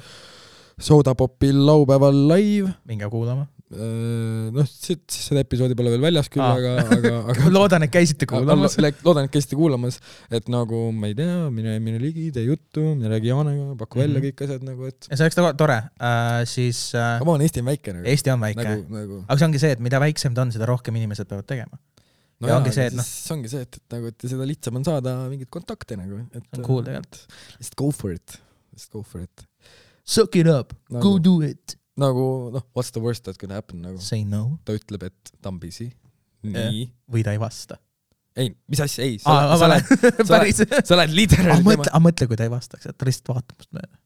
Sodapopil laupäeval live. Minge kuulama. noh, siis seda episoodi pole veel väljas küll, aga, aga, aga loodan, et käisite kuulamas. Loodan, et käisite kuulamas, et nagu, ma ei tea, mine, mine ligi, tee juttu, mine räägi Jaanega, paku välja kõik asjad nagu, et... Ja see oleks tore, äh, siis... Äh, aga ma on Eesti on väike nagu. Eesti on väike. Nagu, nagu... Aga see ongi see, et mida väiksem ta on, seda rohkem inimesed peavad tegema. No ja jaa, ongi see, et, no... see ongi see, et, et, nagu, et seda lihtsam on saada mingid kontakte nagu. Et, on cool tegelikult. Just go for it. Just go for it. Suck it up. Nagu, go do it. Nagu, noh, what's the worst that can happen? Nagu, say no. Ta ütleb, et ta on busy. Nii. Või ta ei vasta. Ei, mis asja? Ei. Sa, Aa, sa, lähed, sa, lähed, sa lähed literally... A mõtle, mõtle, kui ta ei vastaks, et ta lihtsalt vaatab must mööda.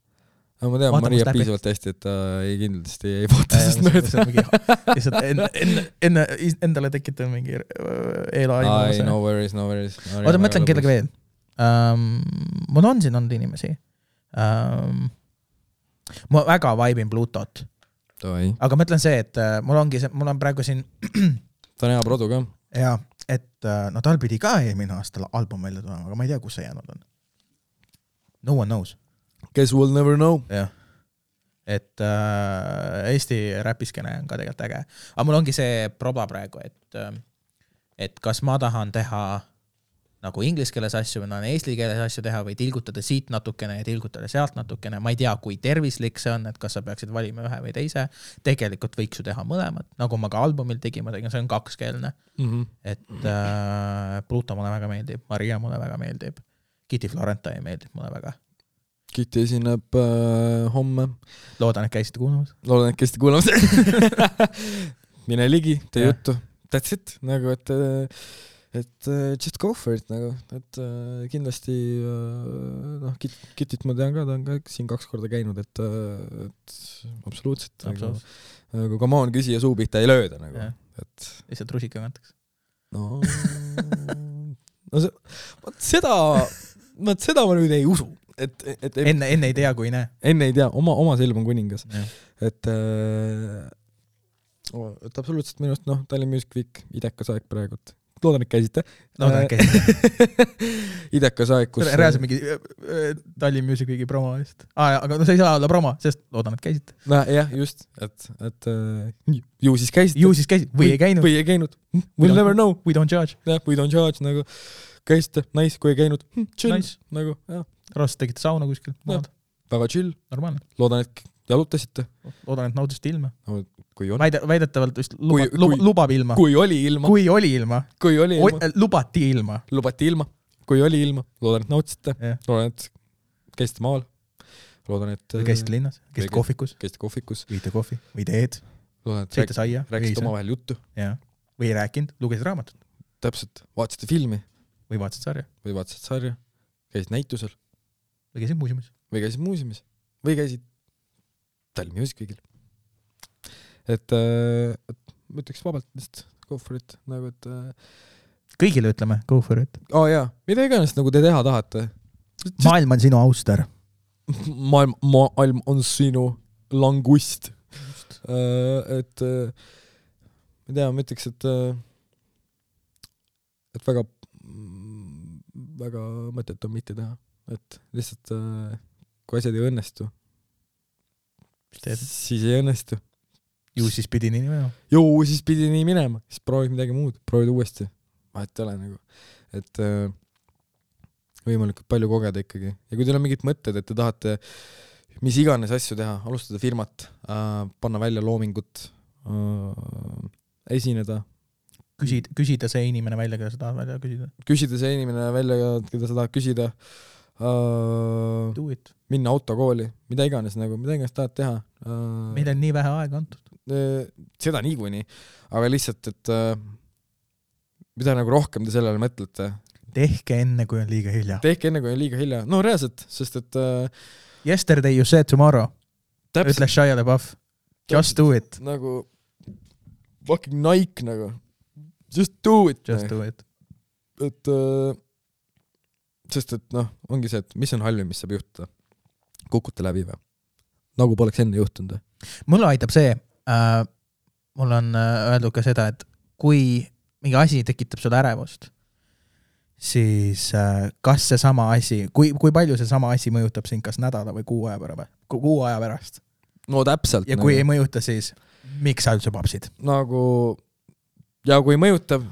Aga ma tean, Maria piisavalt hästi, et ta ei kindlasti ei vaata sest mööda. Lihtsalt enne, enne, enne endale tekitab mingi eela-aimu. Ai, no worries, no worries. Oota, mõtlen kellega veel. Um, mul on siin olnud inimesi. Um, ma väga vaibin Plutot. Toi. Aga mõtlen see, et uh, mul ongi see, mul on praegu siin ta on hea produ ka. Ja, et uh, no tal pidi ka eelmine aastal album välja tulema, aga ma ei tea, kus see jäänud on. No one knows. Guess we'll never know. Jah. Et uh, Eesti räpiskene on ka tegelikult äge. Aga mul ongi see proba praegu, et, uh, et kas ma tahan teha nagu inglise keeles asju või eesti keeles asju teha või tilgutada siit natukene ja tilgutada sealt natukene. Ma ei tea, kui tervislik see on, et kas sa peaksid valima ühe või teise. Tegelikult võiks ju teha mõlemad. Nagu ma ka albumil tegin, ma tegin, see on kakskeelne. Mm-hmm. Et äh, Pluto mulle väga meeldib, Maria mulle väga meeldib, Kitty Florentine meeldib mulle väga. Kitty esineb äh, homme. Loodan, et käisite kuulamas. Loodan, et käisite kuulamas. Mine ligi, tee ja. Juttu. That's it. Nagu, et... Äh, et uh, just go for it nagu, et uh, kindlasti uh, noh, Kit, Kitit ma tean ka, ta on ka siin kaks korda käinud, et, uh, et absoluutselt, absoluutselt. Nagu, nagu come on, küsija suupihta ei lööda nagu, et lihtsalt rusika kantaks. No, no see, vaat seda vaat seda ma nüüd ei usu, et, et, et enne, enne ei tea, kui ei näe. Enne ei tea, oma, oma silm on kuningas. Et uh, et absoluutselt minust, noh, Tallinn Music Week, idekas aeg praegult. Loodan, et käisite. Loodan, et käisite. Idekas aeg, kus... Reaalselt mingi Tallinn Music Weeki promo vist. Ah, aga no see ei saa olla promo, sest loodan, et käisite. No jah, just. Et, et uh, ju siis käisite. Ju siis käisite. Või ei käinud. Või ei käinud. We'll never know. We don't judge. Ja, we don't judge. Nagu, käisite, nice, kui ei käinud. Chill. Nice. Nagu, jah. Raast tegite sauna kuskil. Väga chill. Normaalne. Loodan, et jalutasite. Loodan, et naudisite ilma. No, kui on. Väide, väidetavalt vist luba, kui, luba, kui, lubab ilma. Kui oli ilma. Kui oli ilma. Kui oli ilma. O, lubati ilma. Lubati ilma. Kui oli ilma. Loodan, et nautsite. Yeah. Loodan, et käisite maal. Loodan, et... Või käisite linnas. Käisite kohvikus. Käisite kohvikus. Võite kohvi. Või teed. Loodan, et Sõite saia. rääkisite oma vahel juttu. Ja. Või ei rääkinud. Lugesid raamatut. Täpselt. Vaatasite filmi. Või vaatasid sarja. Või vaatasid sarja. Käisid näitusel. Või käisid muuseumis. Või käisid muuseumis. Või käisid Tallinn Music Weekil. Et, et ma ütleks vabalt vist go for it. Nagu, et... Kõigile ütleme go for it. Oh, jaa. Mida iganes nagu te teha tahate. Just... Maailm on sinu auster. Maailm, maailm on sinu langust. Uh, et ma tea, ma ütleks, et et väga väga mõtet on mitte teha. Et lihtsalt kui asjad ei õnnestu, siis ei õnnestu. Ju siis pidi nii minema. Ju siis pidi nii minema. Siis proovid midagi muud. Proovid uuesti. Vahet ei ole nagu. Et võimalikult palju kogeda ikkagi. Ja kui teil on mingid mõtted, et te tahate mis iganes asju teha, alustada firmat, äh, panna välja loomingut, äh, esineda. Küsid, küsida see inimene välja, keda sa tahad välja küsida. Küsida see inimene välja, keda sa tahad küsida. Uh, minna autokooli, mida iganes, nagu, mida iganes tahad teha. Uh, Meil on nii vähe aega antud. Uh, seda niikuinii, aga lihtsalt, et uh, mida nagu rohkem te sellele mõtlete. Tehke enne, kui on liiga hilja. Tehke enne, kui on liiga hilja. No reaalselt, sest et... Uh, Yesterday you said tomorrow. Täpselt. Ütle Shia LaBeouf. Just do it. Nagu fucking Nike nagu. Just do it. Just do it. Et... Uh, sest et noh, ongi see, et mis on halvim, mis saab juhtuda. Kukute läbi või? Nagu poleks enne juhtunud. Mulle aitab see, äh, mul on öeldud ka seda, et kui mingi asi tekitab sulle ärevust, siis äh, kas see sama asi, kui, kui palju see sama asi mõjutab sind kas nädala või kuu aja pärast? Kuu aja pärast. No täpselt. Ja kui nagu... ei mõjuta, siis miks sa üldse papsid? Nagu, ja kui mõjutab,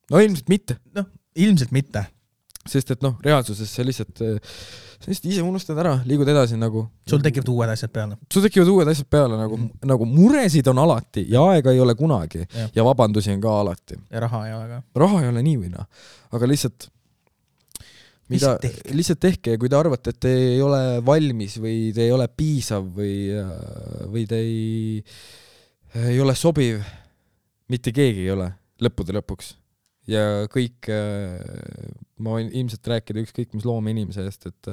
no ilmselt mitte. No, ilmselt mitte. Sest et noh, reaalsuses see lihtsalt, see lihtsalt ise unustad ära, liigud edasi nagu... Sul tekivad uued asjad peale. Sul tekivad uued asjad peale, nagu, mm. nagu muresid on alati ja aega ei ole kunagi ja, ja vabandusi on ka alati. Ja raha ei ole ka. Raha ei ole nii või noh. Aga lihtsalt, mida, tehke? lihtsalt tehke ja kui te arvate, et te ei ole valmis või te ei ole piisav või, või te ei, ei ole sobiv, mitte keegi ei ole lõppude lõpuks. Ja kõik, ma võin ilmselt rääkida ükskõik mis loome inimese eest, et,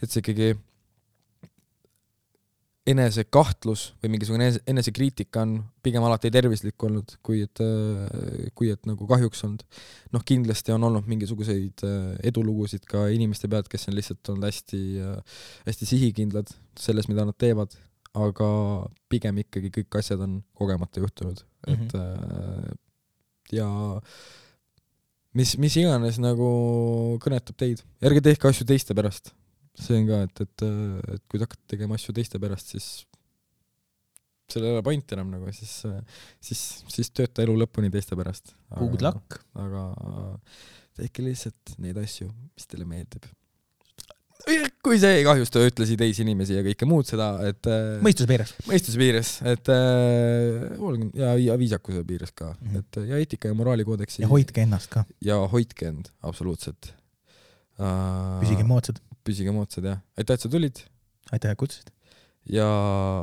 et see ikkagi enese kahtlus või mingisugune enese, enese kriitika on pigem alati tervislik olnud, kui et, kui et nagu kahjuks olnud. Noh, kindlasti on olnud mingisuguseid edulugusid ka inimeste pealt, kes on lihtsalt olnud hästi, hästi sihikindlad selles, mida nad teevad, aga pigem ikkagi kõik asjad on kogemata juhtunud. Mm-hmm. Et ja mis, mis iganes nagu kõnetab teid. Ärge tehke asju teiste pärast. See on ka, et, et, et kui te hakkate tegema asju teiste pärast, siis selle ei ole point enam nagu, siis, siis, siis tööta elu lõpuni teiste pärast. Good luck. Aga tehke lihtsalt neid asju, mis teile meeldib. Kui see ei kahjusta, ütlesi teisi inimesi ja kõike muud seda, et... Mõistuse piires. Mõistuse piires, et ja, ja viisakuse piires ka. Mm-hmm. Et, ja eetika ja moraalikoodeksi. Ja hoidke ennast ka. Ja hoidke end, absoluutselt. Uh, püsige moodsad. Püsige moodsad, jah. Aitäh, et sa tulid. Aitäh, et kutsusid. Ja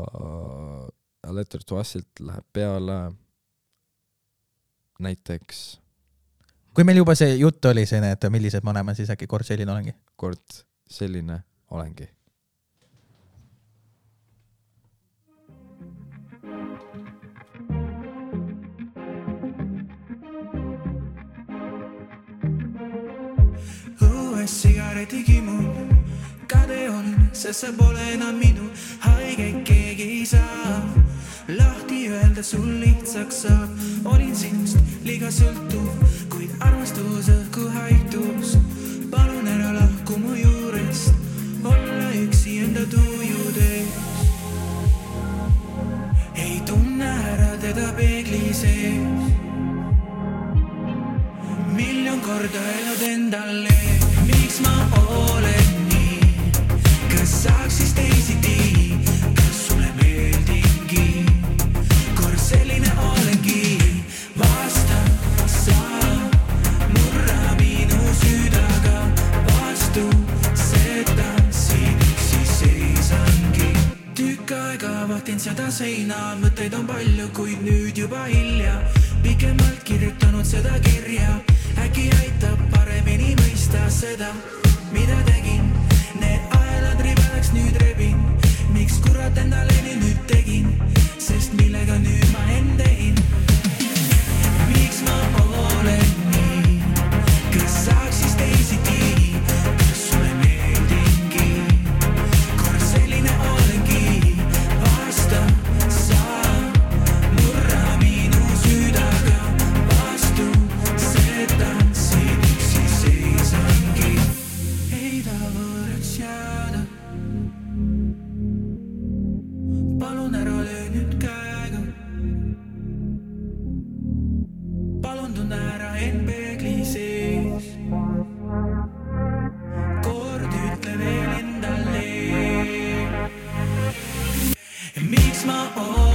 uh, Letter to Usilt läheb peale näiteks... Kui meil juba see jutt oli see, et millised ma oleme, siis äkki kord selline olengi? Kord selline olengi. Õues sigaretiga mul kade on, sest see pole enam minu haigeid keegi ei saa. Lahti öelda sul lihtsaks saab, olin sinust liiga sõltuv, kuid armastus õhku haitus. Palun ära lahku mu juurest, olla üksi enda tujudes. Ei tunne ära teda peegli sees. Miljon korda elad endale, miks ma olen nii? Kas saaks siis teisiti, kas sulle meeldingi? vaadakin seda seina, mõtteid on palju, kuid nüüd juba hilja. Pikemalt kirjutanud seda kirja, äkki aitab paremini mõista seda, mida tegin. Need aelad ribadaks nüüd rebin, miks kurat endaleni nüüd tegin, sest millega nüüd ma end tegin. Miks ma olen nii, kas saaks siis teisiti, kas sulle meeldingi, kord selline olengi, vasta sa, murra minu südaga, vastu seda siin üksi seisangi, ei ta võõraks jääda. Palun ära löö nüüd käega, palun tunne ära end peegli sees, kord ütle veel endale, miks ma olen